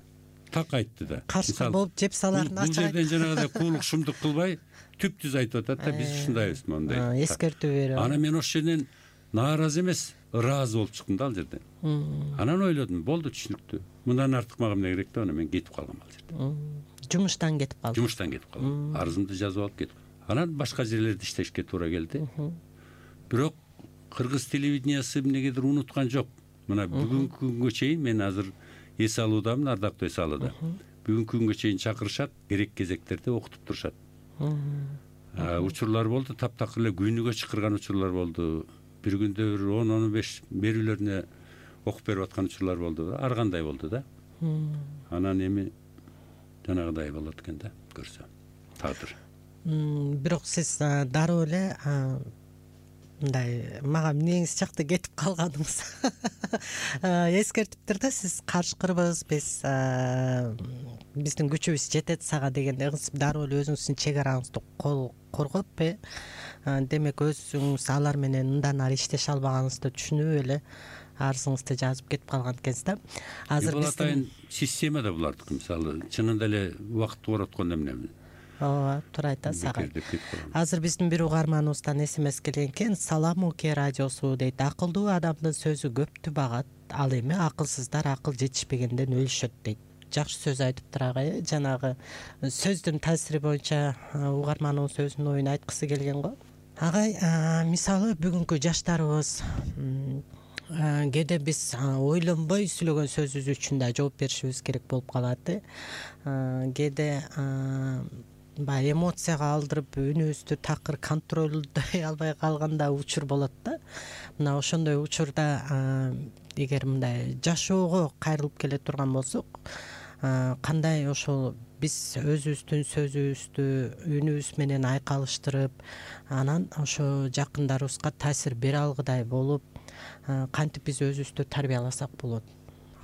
Так айтты да. Каршы болуп жеп саларын ачык айтты. Бул жерден жанагыдай куулукчумдук кылбай, түп-түз айтып атат да, биз ушундайбыз мондай. Эскертүү берип. Анан мен ошол жерден нааразы эмес, ыраазы болуп чыктым да ал жерден. Анан ойлодум, болду, түшүнүктүү. Мындан артык мага эмне керек да, анан мен кетип калгам ал жерден. Жумуштан кетип калдым. Жумуштан кетип калдым. Арызымды жазып алып кетип. Анан башка жерлерде иштешке туура келди. Бирок кыргыз телевидениясы эмнегедир унуткан жок. Мына бүгүнкү күнгө чейин мен азыр эс алуудамын, ардактуу эс алууда. Бүгүнкү күнгө чейин чакырышат, керек кезектерде окутуп турушат. Учурлар болду, таптакыр эле күнүгө чакырган учурлар болду. Бир күндө бир 10-15 берүүлөрүнө окуп берип аткан учурлар болду. Ар кандай болду да. Анан эми жанагыдай болот экен да, көрсө. Тагдыр. Бирок сиз дароо эле мындай мага эмнеңиз жакты кетип калганыңыз эскертиптир да. Сиз каршыкырбыз, биздин күчүбүз жетет сага дегенде дароо эле өзүңүздүн чек араңызды коргоп, демек өзүңүз алар менен мындан ары иштеше албаганыңызды түшүнүп эле арызыңызды жазып кетип калган экенсиз да. Азыр биздин система да булардыкы, мисалы чынында эле убакытты короткондо эмне? Ооба, туура айтасыз ага. Азыр биздин бир угарманыбыздан смс келген экен. Салам Уке радиосу дейт. Акылдуу адамдын сөзү көптү багат, ал эми акылсыздар акыл жетишпегенден өлүшөт дейт. Жакшы сөз айтыптыр ага. Жанагы сөздүн таасири боюнча угарманыбыз өзүнүн оюн айткысы келген го. Агай, мисалы бүгүнкү жаштарыбыз кээде биз ойлонбой сүйлөгөн сөзүбүз үчүн да жооп беришибиз керек болуп калат. Кээде баягы эмоцияга алдырып үнүбүздү такыр контролдой албай калганда учур болот да. Мына ошондой учурда эгер мындай жашоого кайрылып келе турган болсок, кандай ошол биз өзүбүздүн сөзүбүздү үнүбүз менен айкалыштырып, анан ошо жакындарыбызга таасир бере алгыдай болуп, кантип биз өзүбүздү тарбияласак болот.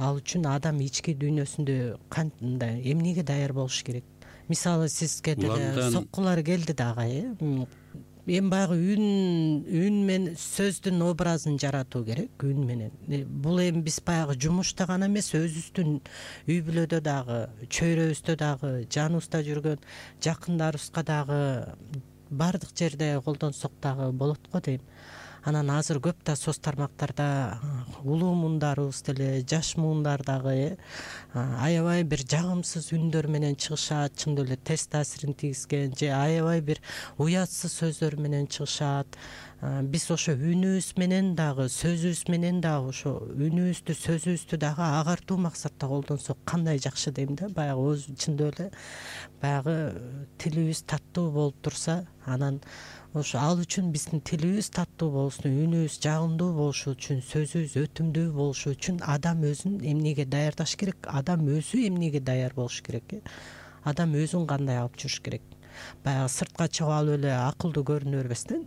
Ал үчүн адам ички дүйнөсүндө кандай эмнеге даяр болуш керек? Мисалы сизге деле соккулар келди дагы, эми баягы үн менен сөздүн образын жаратуу керек, үн менен. Бул эми биз баягы жумушта гана эмес, өзүбүздүн үй бүлөдө дагы, чөйрөбүздө дагы, жаныбызда жүргөн жакындарыбызга дагы баардык жерде колдонсок дагы болот го дейм. Анан азыр көп да соц тармактарда улуу муундарыбыз деле, жаш муундар дагы аябай бир жагымсыз үндөр менен чыгышат, чындап эле терс таасирин тийгизген же аябай бир уятсыз сөздөр менен чыгышат. Биз ошо үнүбүз менен дагы, сөзүбүз менен дагы, ошо үнүбүздү, сөзүбүздү дагы агартуу максатта колдонсок кандай жакшы дейм да. Баягы өзү чындап эле баягы тилибиз таттуу болуп турса, анан ошо ал үчүн биздин тилибиз таттуу болсун, үнүбүз жагымдуу болушу үчүн, сөзүбүз өтүмдүү болушу үчүн адам өзүн эмнеге даярдаш керек? Адам өзү эмнеге даяр болуш керек? Адам өзүн кандай алып жүрүш керек? Баягы сыртка чыгып алып эле акылдуу көрүнө бербестен,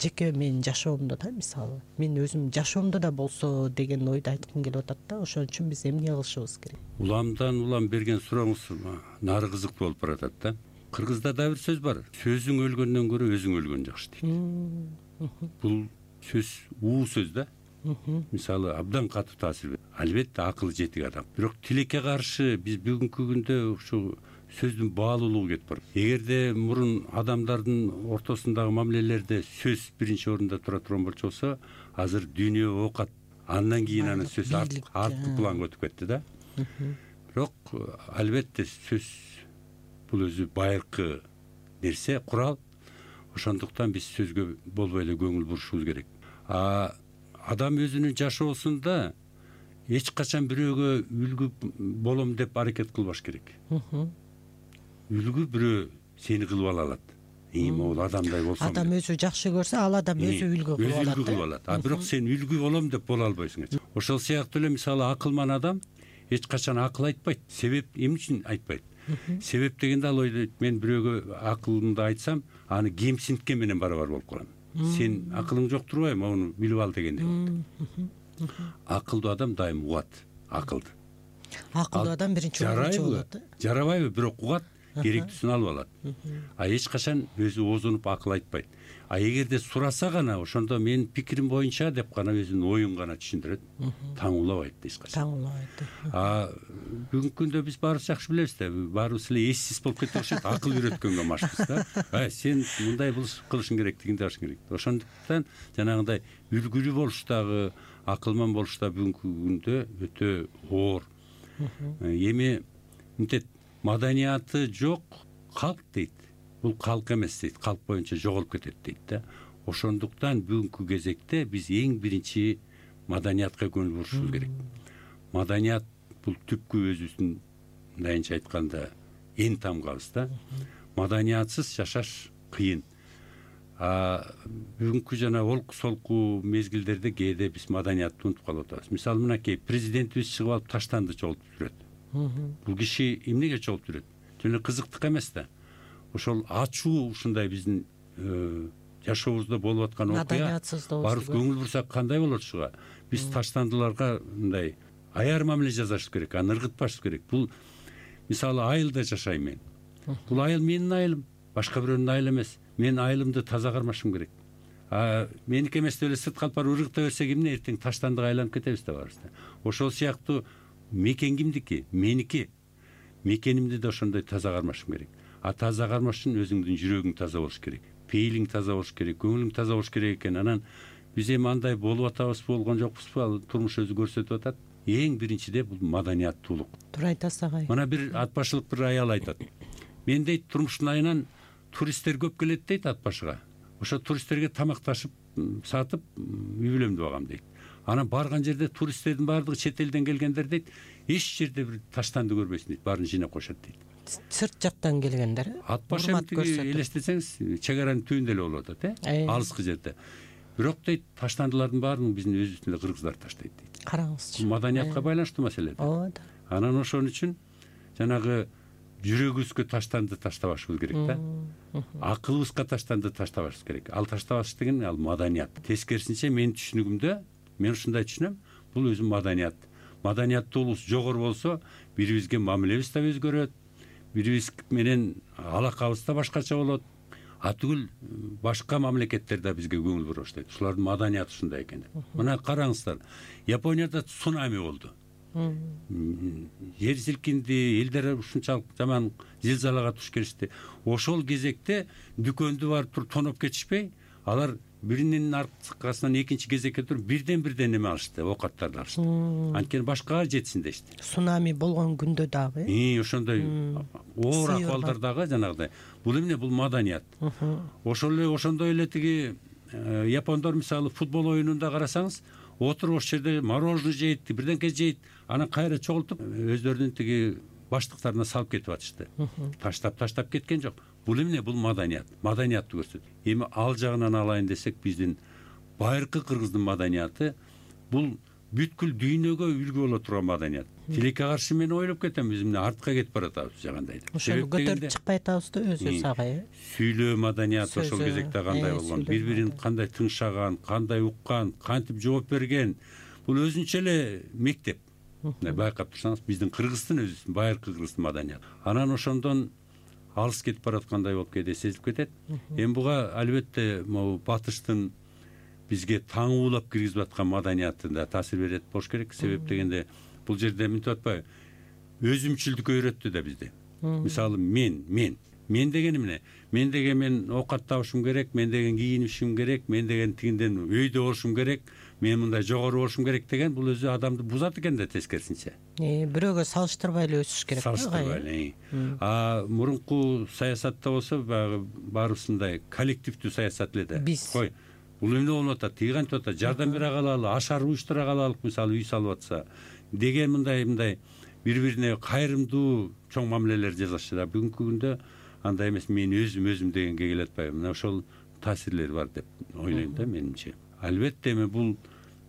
жеке менин жашоомдо да, мисалы, мен өзүм жашоомдо да болсо деген ойду айткым келип атат да. Ошон үчүн биз эмне кылышыбыз керек? Уламдан улам берген сурооңуз нары кызыктуу болуп баратат да. Кыргызда да бир сөз бар. Сөзүң өлгөндөн көрө өзүң өлгөн жакшы дейт. Бул сөз уу сөз да. Мисалы абдан катуу таасир берет. Албетте акылы жетик адам. Бирок тилекке каршы биз бүгүнкү күндө ушу сөздүн баалуулугу кетип барат. Эгерде мурун адамдардын ортосундагы мамилелерде сөз биринчи орунда тура турган болчу, азыр дүйнө оокат, андан кийин анан сөз арткы планга өтүп кетти да. Бирок албетте сөз бул өзү байыркы нерсе, курал. Ошондуктан биз сөзгө болбой эле көңүл бурушубуз керек. Адам өзүнүн жашоосунда эч качан бирөөгө үлгү болом деп аракет кылбаш керек. Үлгү бирөө сени кылып ала алат. Могул адамдай болсом. Адам өзү жакшы көрсө, ал адам өзү үлгү кылып алат. Бирок сен үлгү болом деп боло албайсың. Ошол сыяктуу эле мисалы акылман адам эч качан акыл айтпайт. Себеп эмне үчүн айтпайт? Себеп дегенде ал ойлойт, мен бирөөгө акылымды айтсам, аны кемсинткен менен барабар болуп калам. Сен акылың жок турбайбы, муну билип ал дегендей болот. Акылдуу адам дайым угат акылды. Акылдуу адам биринчи орунчу болот. Жарабайбы, бирок угат, керектүүсүн алып алат. Эч качан өзү оозунуп акыл айтпайт. Эгерде сураса гана, ошондо менин пикирим боюнча деп гана өзүнүн оюн гана түшүндүрөт. Таңуулабайт эч качан. Таңуулабайт. Бүгүнкү күндө биз баарыбыз жакшы билебиз да, баарыбыз эле эссиз болуп кетип окшойт, акыл үйрөткөнгө машпыз да. Сен мындай кылышың керек, тигиндей кылышың керек. Ошондуктан жанагындай үлгүлүү болуштагы, акылман болушта бүгүнкү күндө өтө оор. Эми мынтет, маданияты жок калк дейт. Бул калк эмес дейт, калк боюнча жоголуп кетет дейт да. Ошондуктан бүгүнкү кезекте биз эң биринчи маданиятка көңүл бурушубуз керек. Маданият бул түпкү өзүбүздүн, мындайынча айтканда, эң тамгабыз да. Маданиятсыз жашаш кыйын. Бүгүнкү жана олку солку мезгилдерде кээде биз маданиятты унутуп калып атабыз. Мисалы мынакей президентибиз чыгып алып таштанды чогултуп жүрөт. Бул киши эмнеге чогултуп жүрөт? Жөн эле кызыктык эмес да. Ошол ачуу ушундай биздин жашообузда болуп аткан окуя. Баарыбыз көңүл бурсак кандай болот ушуга? Биз таштандыларга мындай аяр мамиле жасашыбыз керек, аны ыргытпашыбыз керек. Бул мисалы айылда жашайм мен. Бул айыл менин айылым, башка бирөөнүн айылы эмес. Мен айылымды таза кармашым керек. Меники эмес деп эле сырт калып барып ыргыта берсек эмне, эртең таштандыга айланып кетебиз да баарыбыз да. Ошол сыяктуу мекен кимдики? Меники. Мекенимди да ошондой таза кармашым керек. Таза кармаш үчүн өзүңдүн жүрөгүң таза болуш керек, пейилиң таза болуш керек, көңүлүң таза болуш керек экен. Анан биз эми андай болуп атабызбы, болгон жокпузбу? Ал турмуш өзү көрсөтүп атат. Эң биринчиде бул маданияттуулук. Туура айтасыз агай. Мына бир ат башылык бир аял айтат. Мен дейт, турмуштун айынан туристтер көп келет дейт ат башыга. Ошо туристтерге тамак ташып, сатып, үй бүлөмдү багам дейт. Анан барган жерде туристтердин баардыгы чет элден келгендер дейт, эч жерде бир таштанды көрбөйсүн дейт, баарын жыйнап коюшат дейт. Сырт жактан келгендер. Ат башы элестесеңиз, чегаранын түбүндө эле болуп атат, алыскы жерде. Бирок дейт, таштандылардын баарын биздин өзүбүздүн эле кыргыздар таштайт дейт. Караңызчы. Маданиятка байланыштуу маселе. Ооба. Анан ошон үчүн жанагы жүрөгүбүзгө таштанды таштабашыбыз керек да. Акылыбызга таштанды таштабашыбыз керек. Ал таштабаш деген ал маданият. Тескерисинче менин түшүнүгүмдө мен ушундай түшүнөм, бул өзү маданият. Маданияттуулугубуз жогору болсо, бирибизге мамилебиз да өзгөрөт, бирибиз менен алакабыз да башкача болот. Түгүл башка мамлекеттерде бизге көңүл бура баштайт. Ушулардын маданияты ушундай экен деп. Мына караңыздар, Японияда цунами болду. Жер силкинди, элдер ушунчалык жаман зилзалага туш келишти. Ошол кезекте дүкөндү барып туруп тоноп кетишпей, алар биринин аркасынан экинчи кезекке туруп бирден неме алышты, оокаттарды алышты. Анткени башкага жетсин дешти. Цунами болгон күндө дагы. Ошондой оор акыбалдар дагы жанагыдай. Бул эмне? Бул маданият. Ошол эле ошондой эле тиги япондор мисалы футбол оюнунда карасаңыз, отуруп ошол жерде мороженое жейт, бирденке жейт, анан кайра чогултуп өздөрүнүн тиги баштыктарына салып кетип атышты. Таштап кеткен жок. Бул эмне? Бул маданият. Маданиятты көрсөтөт. Эми ал жагынан алайын десек, биздин байыркы кыргыздын маданияты бул бүткүл дүйнөгө үлгү боло турган маданият. Тилекке каршы мен ойлоп кетем, биз эмне артка кетип баратабыз жагандай деп. Ошону көтөрүп чыкпай атабызды өзүбүз агай. Сүйлөө маданияты ошол кезекте кандай болгон, бири-бирин кандай тыңшаган, кандай уккан, кантип жооп берген. Бул өзүнчө эле мектеп. Байкап турсаңыз, биздин Кыргыздын өзү байыркы кыргыздын маданияты. Анан ошондон алыс кетип бараткандай болуп кээде сезилип кетет. Эми буга албетте могу батыштын бизге таңуулап киргизип аткан маданиятында таасир берет болуш керек. Себеп дегенде бул жерде мынтип атпайбы, өзүмчүлдүккө үйрөттү да бизди. мисалы мен деген эмне? Мен деген мен оокат табышым керек, мен деген кийинишим керек, мен деген тигинден өйдө болушум керек, мен мындай жогору болушум керек деген бул өзү адамды бузат экен да тескерисинче. Бирөөгө салыштырбай эле өсүш керек. Салыштырбай эле. Мурунку саясатта болсо баягы баарыбыздай коллективдүү саясат эле да. Кой, бул эмне болуп атат, тиги кантип атат, жардам бере калалы, ашар уюштура калалык, мисалы үй салып атса деген мындай бири-бирине кайрымдуу чоң мамилелер жасашты да. Бүгүнкү күндө андай эмес, мен өзүм дегенге келе атпайбы. Мына ошол таасирлери бар деп ойлойм да менимче. Албетте эми бул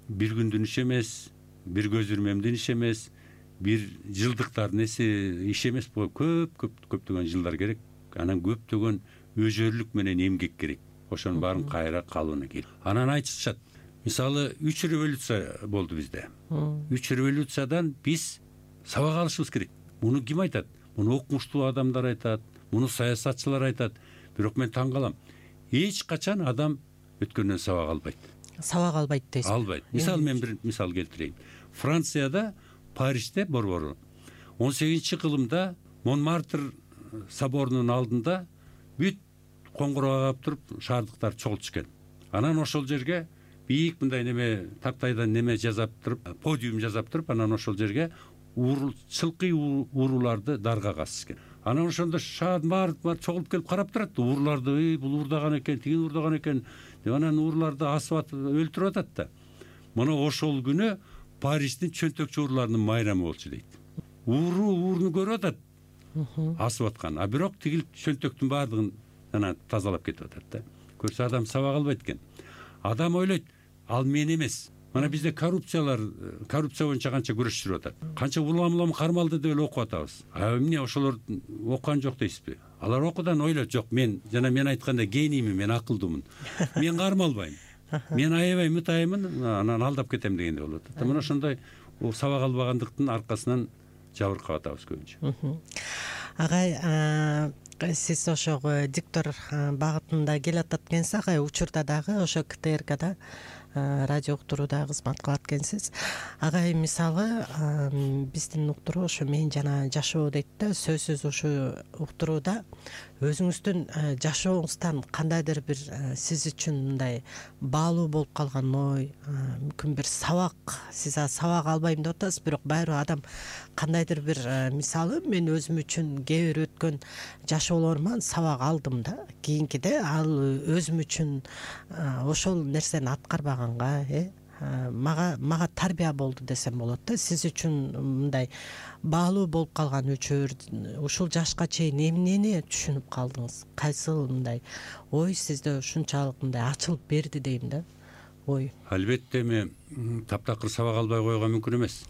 бир күндүн иши эмес, бир көз ирмемдин иши эмес, бир жылдыктардын иш эмес, буга көптөгөн жылдар керек. Анан көптөгөн өжөрлүк менен эмгек керек. Ошонун баарын кайра калыбына келип. Анан айтышат. Мисалы 3 революция болду бизде. 3 революциядан биз сабак алышыбыз керек. Муну ким айтат? Муну окумуштуу адамдар айтат, муну саясатчылар айтат. Бирок мен таң калам. Эч качан адам өткөндөн сабак албайт. Сабак албайт дейсиз? Албайт. Мисалы мен бир мисал келтирейин. Францияда, Парижде борбору 18-кылымда Монмартр соборунун алдында бүт коңгуроо кагып туруп шаардыктар чогултуш экен. Анан ошол жерге бийик мындай неме тактайдан неме жасап туруп, подиум жасап туруп, анан ошол жерге чылкый ууруларды дарга касышкан. Анан ошондо шаардын баары чогулуп келип карап турат, ууруларды, бул уурдаган экен, тиги уурдаган экен деп анан ууруларды асып атып өлтүрүп атат да. Мына ошол күнү Париждин чөнтөкчү ууруларынын майрамы болчу дейт. Ууруну көрүп атат, асып аткан. А бирок тигил чөнтөктүн баардыгын анан тазалап кетип атат да. Көрсө адам сабак албайт экен. Адам ойлойт, ал мен эмес. Мына бизде коррупция боюнча канча күрөшүп атат. Канча улам кармалды деп эле окуп атабыз. Эмне ошолор окуган жок дейсизби? Алар окудан ойлойт, жок, мен айткандай гениймин, мен акылдуумун. Мен кармалбайм. Мен аябай мытаймын, анан алдап кетем дегенде болот. Мына ошондой сабак албагандыктын аркасынан жабыркап атабыз көбүнчө. Агай, сиз ошо диктор багытында келатат экенсиз, агай учурда дагы ошо КТРКда радио уктурууда кызмат кылат экенсиз. Агай, мисалы биздин уктуруу ошо мен жана жашоо дейт да, сөзсүз ошо уктурууда өзүңүздүн жашооңуздан кандайдыр бир сиз үчүн мындай баалуу болуп калган ой, мүмкүн бир сабак, сиз сабак албайм деп атасыз, бирок баары адам кандайдыр бир мисалы мен өзүм үчүн кээ бир өткөн жашоолоруман сабак алдым да, кийинкиде ал өзүм үчүн ошол нерсени аткарбаганга мага тарбия болду десем болот да. Сиз үчүн мындай баалуу болуп калган өчөр ушул жашка чейин эмнени түшүнүп калдыңыз? Кайсыл мындай ой сизде ушунчалык мындай ачылып берди дейм да, ой? Албетте эми таптакыр сабак албай койгон мүмкүн эмес.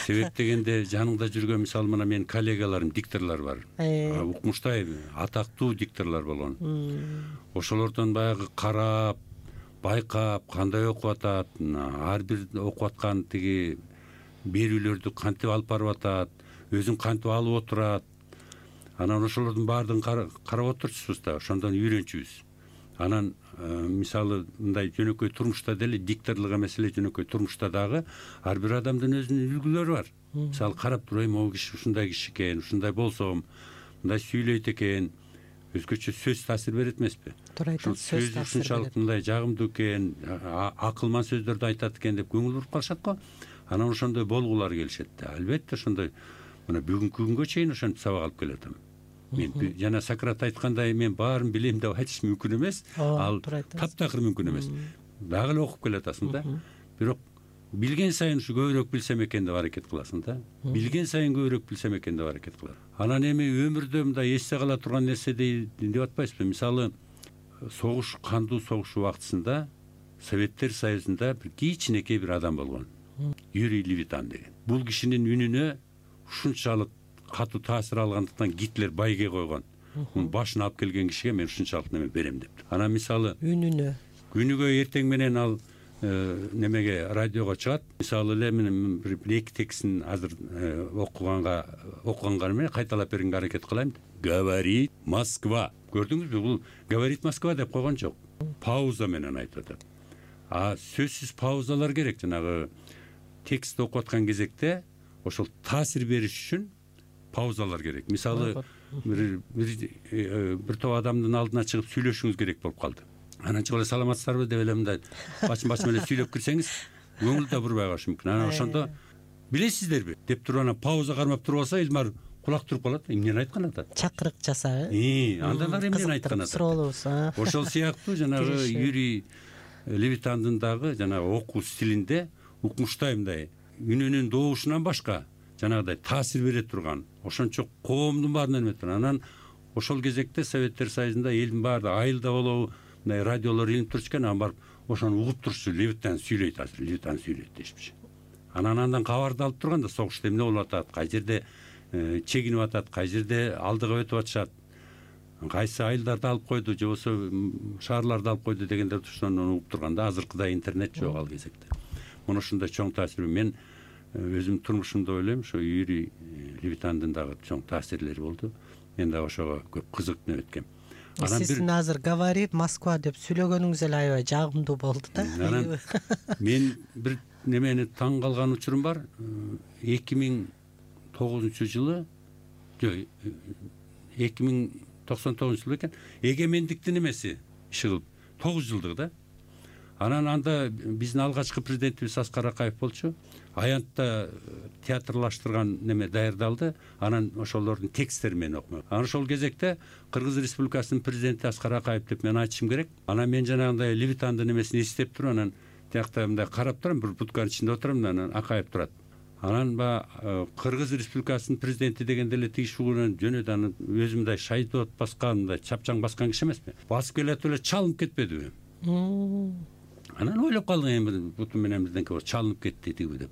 Себеп дегенде жаныңда жүргөн мисалы мына менин коллегаларым, дикторлор бар. Укмуштай атактуу дикторлор болгон. Ошолордон баягы карап, байкап, кандай окуп атат, ар бир окуп аткан тиги берүүлөрдү кантип алып барып атат, өзүн кантип алып отурат. Анан ошолордун баардыгын карап отурчусуз да, ошондон үйрөнчүбүз. Анан мисалы мындай жөнөкөй турмушта деле, дикторлук эмес эле жөнөкөй турмушта дагы ар бир адамдын өзүнүн үлгүлөрү бар. Мисалы карап турайм, могу киши ушундай киши экен, ушундай болсом, мындай сүйлөйт экен, өзгөчө сөз таасир берет эмеспи? Туура айтасыз, сөз таасир берет. Ушунчалык мындай жагымдуу экен, акылман сөздөрдү айтат экен деп көңүл буруп калышат го. Анан ошондой болгулар келишет да. Албетте ошондой мына бүгүнкү күнгө чейин ошентип сабак алып келатам. Мен жана Сократ айткандай, мен баарын билем деп айтыш мүмкүн эмес. Ал таптакыр мүмкүн эмес. Дагы эле окуп келатасың да. Бирок билген сайын ушу көбүрөөк билсем экен деп аракет кыласың да. Билген сайын көбүрөөк билсем экен деп аракет кыласың. Анан эми өмүрдө мындай эсте кала турган нерсе деп атпайсызбы? Мисалы согуш, кандуу согуш убактысында Советтер Союзунда бир кичинекей бир адам болгон. Юрий Левитан деген. Бул кишинин үнүнө ушунчалык катуу таасир алгандыктан Гитлер байге койгон. Мунун башын алып келген кишиге мен ушунчалык неме берем деп. Анан мисалы күнүгө эртең менен ал немеге радиого чыгат. Мисалы эле мен бир эки текстин азыр окуганга менен кайталап бергенге аракет кылайм. Говорит Москва. Көрдүңүзбү? Бул говорит Москва деп койгон жок. Пауза менен айтып атат. Сөзсүз паузалар керек. Жанагы текст окуп аткан кезекте ошол таасир бериш үчүн паузалар керек. Мисалы бир топ адамдын алдына чыгып сүйлөшүңүз керек болуп калды. Анан чыгып эле саламатсыздарбы деп эле мындай бачын эле сүйлөп кирсеңиз көңүл да бурбай калышы мүмкүн. Анан ошондо билесиздерби деп туруп анан пауза кармап туруп алса Элмар кулак туруп калат. Эмнени айткан атат? Чакырык жасап, андан ары эмнени айткан атат? Суроолубуз. Ошол сыяктуу жанагы Юрий Левитандын дагы жанагы окуу стилинде укмуштай мындай үнүнүн добушунан башка жанагыдай таасир бере турган, ошончо коомдун баарына эме турган. Анан ошол кезекте Советтер Союзунда элдин баары айылда болобу мындай радиолор илинип турчу экен, анан барып ошону угуп турчу. Левитан сүйлөйт азыр, Левитан сүйлөйт дешпичи. Анан андан кабарды алып турганда согушта эмне болуп атат, кай жерде чегинип атат, кай жерде алдыга өтүп атышат, кайсы айылдарды алып койду же болбосо шаарларды алып койду дегендер ошону угуп турганда азыркыдай интернет жок ал кезекте. Мына ушундай чоң таасир. Мен өзүмдүн турмушумда ойлойм, ошо Юрий Левитандын дагы чоң таасирлери болду. Мен дагы ошого көп кызыктанып өткөм. Сиздин азыр говори Москва деп сүйлөгөнүңүз эле аябай жагымдуу болду да. Анан мен бир немени таң калган учурум бар. 2009-жылы, жок, 2099-жылы экен, эгемендиктин немеси иши кылып 9 жылдык да. Анан анда биздин алгачкы президентибиз Аскар Акаев болчу. Аянтта театрлаштырган неме даярдалды. Анан ошолордун тексттерин мен окумак. Анан ошол кезекте Кыргыз Республикасынын президенти Аскар Акаев деп мен айтышым керек. Анан мен жанагындай Левитандын немесин эстеп туруп, анан тиякта мындай карап турам, бир будканын ичинде отурам, анан Акаев турат. Анан Кыргыз Республикасынын президенти дегенде эле тиги шугунан жөнөдү. Анан өзү мындай шайдот баскан, мындай чапчаң баскан киши эмеспи? Басып келет эле чалынып кетпедиби? Анан ойлоп калдым, бутум менен бирденке чалынып кетти тиги деп.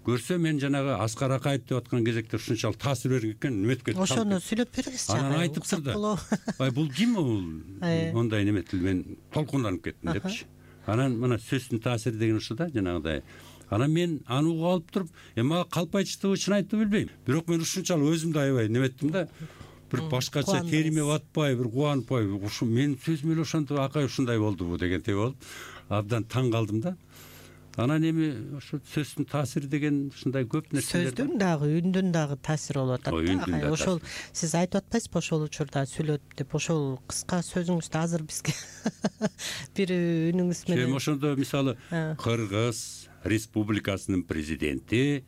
Көрсө мен жанагы Аскар Акаев деп аткан кезекте ушунчалык таасир берген экен, неметке ошону сүйлөп бериңизчи. Анан айтыптыр да. Бул ким бул? Ондай неметил, мен толкунданып кеттим депчи. Анан мына сөздүн таасири деген ушул да, жанагыдай. Анан мен аны угуп алып туруп, мага калп айтыштыбы, чын айтты билбейм. Бирок мен ушунчалык өзүмдү аябай неметтим да. Бир башкача териме батпай, бир кубанпай, ушу мен сөзүм эле ошондо Акай ушундай болдубу дегендей болуп, абдан таң калдым да. Анан эми ошо сөздүн таасири деген ушундай көп нерселер. Сөздүн дагы, үндүн дагы таасири болуп атат да. Ошол сиз айтып атпайсызбы, ошол учурда сүйлөт деп, ошол кыска сөзүңүздү азыр бизге бир үнүңүз менен. Ошондо мисалы Кыргыз Республикасынын президенти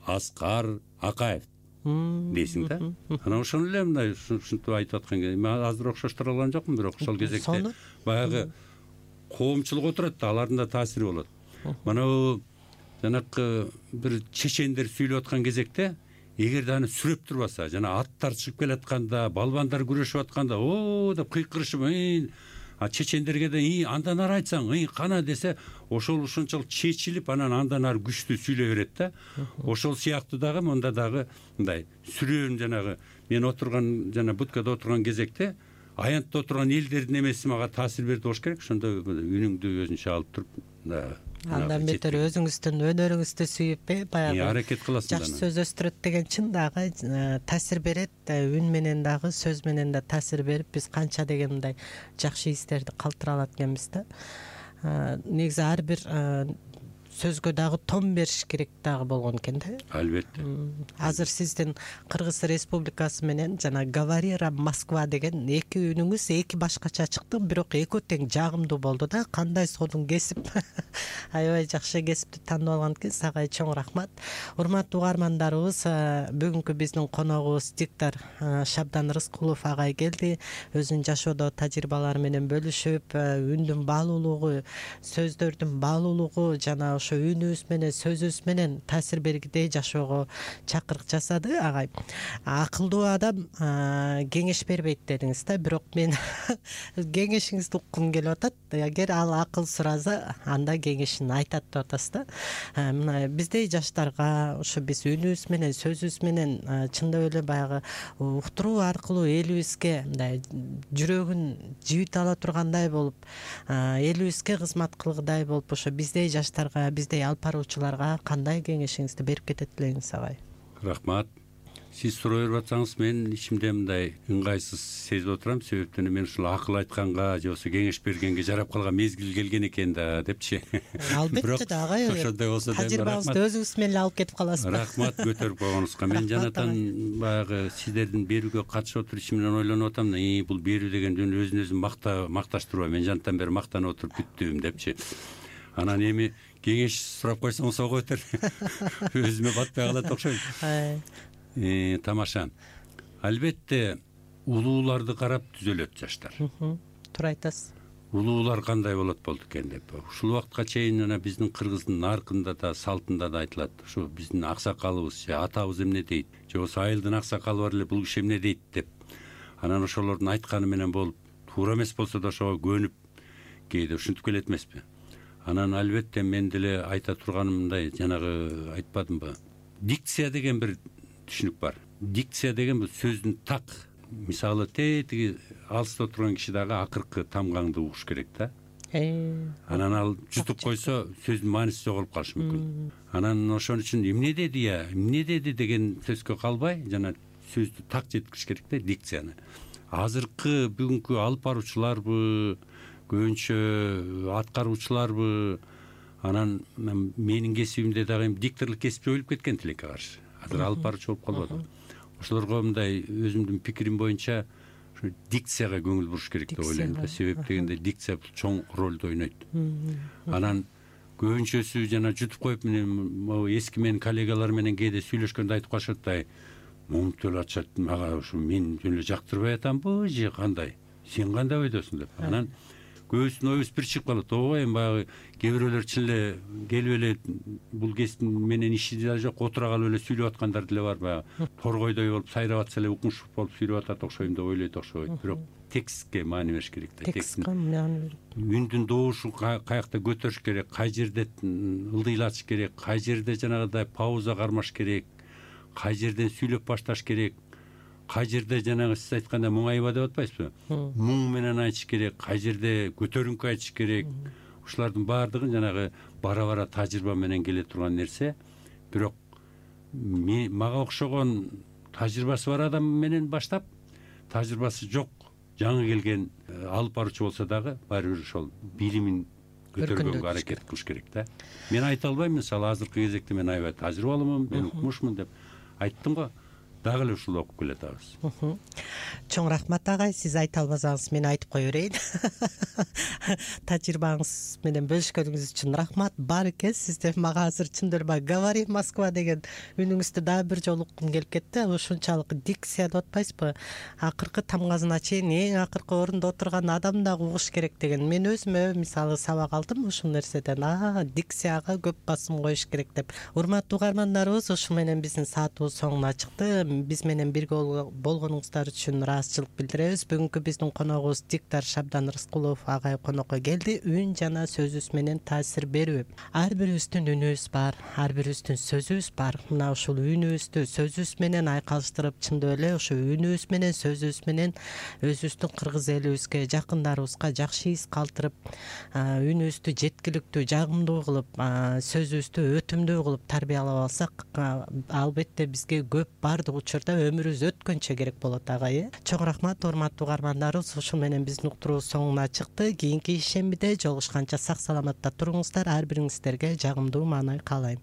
Аскар Акаев дейсиң да. Анан ошону эле мындай ушинтип айтып аткан кезде мен азыр окшоштура алган жокмун, бирок ошол кезекте баягы коомчулук отурат да, алардын да таасири болот. Мана жанакы бир чечендер сүйлөп аткан кезекте эгерде аны сүрөп турбаса, жана аттар чыгып келатканда, балбандар күрөшүп атканда, о деп кыйкырышып, чечендерге да андан ары айтсаң, кана десе, ошол ушунчалык чечилип, анан андан ары күчтүү сүйлөй берет да. Ошол сыяктуу дагы монда дагы мындай сүрөөн жанагы мен отурган жана будкада отурган кезекте аянтта отурган элдердин эмеси мага таасир берди болуш керек. Ошондо үнүңдү өзүнчө алып туруп, андан бетер өзүңүздүн өнөрүңүздү сүйүп, баягы аракет кыласың. Жакшы сөз өстүрөт деген чын дагы таасир берет, үн менен дагы, сөз менен да таасир берип, биз канча деген мындай жакшы истерди калтыра алат экенбиз да. Негизи ар бир сөзгө дагы тон бериш керек дагы болгон экен да. Албетте. Азыр сиздин Кыргыз Республикасы менен жана говори Москва деген эки үнүңүз эки башкача чыкты, бирок экөө тең жагымдуу болду да. Кандай содун кесип, аябай жакшы кесипти тандап алган экенсиз. Ага чоң рахмат. Урматтуу угармандарыбыз, бүгүнкү биздин коногубуз диктор Шабдан Рыскулов агай келди. Өзүнүн жашоодо тажрыйбалары менен бөлүшүп, үндүн баалуулугу, сөздөрдүн баалуулугу жана үнүбүз менен, сөзүбүз менен таасир бергидей жашоого чакырык жасады. Агай акылдуу адам кеңеш бербейт дедиңиз да, бирок мен кеңешиңизди уккум келип атат. Эгер ал акыл сураса, анда кеңешин айтат деп атасыз да. Мына биздей жаштарга ошо биз үнүбүз менен, сөзүбүз менен чындап эле баягы уктуруу аркылуу элибизге мындай жүрөгүн жибит ала тургандай болуп, элибизге кызмат кылгыдай болуп, ошо биздей жаштарга, биздей алып баруучуларга кандай кеңешиңизди берип кетет элеңиз агай? Рахмат. Сиз сурай берип атсаңыз мен ичимде мындай ыңгайсыз сезип отурам. Себептен мен ушул акыл айтканга же болбосо кеңеш бергенге жарап калган мезгил келген экен да депчи. Албетте да агай. Ошондой болсо да тажрыйбаңызды өзүңүз менен эле алып кетип каласызбы? Рахмат көтөрүп койгонуңузга. Мен жанатан баягы сиздердин берүүгө катышып отуруп ичимден ойлонуп атам. Бул берүү деген өзүн өзүн макташтырбай, мен жанатан бери мактанып отуруп бүттүм депчи. Анан эми кеңеш сурап койсоңуз ого бетер өзүмө батпай калат окшойт. Тамаша. Албетте улууларды карап түзөлөт жаштар. Туура айтасыз. Улуулар кандай болот болду экен деп. Ушул убакытка чейин жана биздин кыргыздын наркында да, салтында да айтылат. Ушу биздин аксакалыбыз же атабыз эмне дейт, же болбосо айылдын аксакалы бар эле бул киши эмне дейт деп. Анан ошолордун айтканы менен болуп, туура эмес болсо да ошого көнүп кээде ушинтип келет эмеспи? Анан албетте мен деле айта турганым мындай, жанагы айтпадымбы? Дикция деген бир түшүнүк бар. Дикция деген бул сөздүн так. Мисалы тетиги алыста отурган киши дагы акыркы тамгаңды угуш керек да. Анан ал жутуп койсо сөздүн мааниси жоголуп калышы мүмкүн. Анан ошон үчүн эмне деди деген сөзгө калбай, жана сөздү так жеткириш керек да, дикцияны. Азыркы бүгүнкү алып баруучуларбы, көбүнчө аткаруучуларбы, анан менин кесибимде дагы дикторлук кесип жоюлуп кеткен тилекке каршы. Азыр алып баруучу болуп калып атат. Ошолорго мындай өзүмдүн пикирим боюнча ушу дикцияга көңүл буруш керек деп ойлойм да. Себеп дегенде дикция чоң ролду ойнойт. Анан көбүнчөсү жана жутуп коюп, мен эски менин коллегалар менен кээде сүйлөшкөндө айтып калышат да, момунтип эле атышат, мага ушу мен жөн эле жактырбай атамбы же кандай? Сен кандай ойдосуң деп. Анан көбүсүнүн оюбуз бир чыгып калат. Ой, эми баягы кээ бирөөлөр чын эле келип эле бул кесип менен иши да жок, отура калып эле сүйлөп аткандар деле бар. Баягы торгойдой болуп сайрап атса эле укмуш болуп сүйлөп атат окшойм деп ойлойт окшойт. Бирок текстке маани бериш керек да. Текстке маани берип. Үндүн добушун каякта көтөрүш керек, кай жерде ылдыйлатыш керек, кай жерде жанагыдай пауза кармаш керек, кай жерден сүйлөп башташ керек, кай жерде жанагы сиз айткандай муңайба деп атпайсызбы? Муң менен айтыш керек, кай жерде көтөрүңкү айтыш керек. Ушулардын баардыгы жанагы бара-бара тажрыйба менен келе турган нерсе. Бирок мага окшогон тажрыйбасы бар адам менен баштап, тажрыйбасы жок жаңы келген алып баруучу болсо дагы баары бир ошол билимин көтөргөнгө аракет кылыш керек да. Мен айта албайм, мисалы азыркы кезекте мен аябай тажрыйбалуумун, мен укмушмун деп айттым го. Дагы эле ушул окуп келатабыз. Чоң рахмат агай, сиз айта албасаңыз мен айтып кое берейин. Тажрыйбаңыз менен бөлүшкөнүңүз үчүн рахмат. Баарке сизде мага азыр чындыр эле говори Москва деген үнүңүздү дагы бир жолу уккум келип кетти. Ушунчалык дикция деп атпайсызбы? Акыркы тамгасына чейин эң акыркы орунда отурган адам дагы угуш керек деген. Мен өзүмө мисалы сабак алдым ушул нерседен. Дикцияга көп басым коюш керек деп. Урматтуу угармандарыбыз, ушу менен биздин саатыбыз соңуна чыкты. Биз менен бирге болгонуңуздар үчүн ыраазычылык билдиребиз. Бүгүнкү биздин коногубуз диктор Шабдан Рыскулов агай конокко келди. Үн жана сөзүбүз менен таасир берүү. Ар бирибиздин үнүбүз бар, ар бирибиздин сөзүбүз бар. Мына ушул үнүбүздү сөзүбүз менен айкалыштырып, чындап эле ошо үнүбүз менен сөзүбүз менен өзүбүздүн кыргыз элибизге, жакындарыбызга жакшы из калтырып, үнүбүздү жеткиликтүү, жагымдуу кылып, сөзүбүздү өтүмдүү кылып тарбиялап алсак, албетте бизге көп бардык учурда өмүрүбүз өткөнчө керек болот агай. Чоң рахмат урматтуу угармандарыбыз. Ушул менен биздин уктуруубуз соңуна чыкты. Кийинки ишембиде жолугушканча сак саламатта туруңуздар. Ар бириңиздерге жагымдуу маанай каалайм.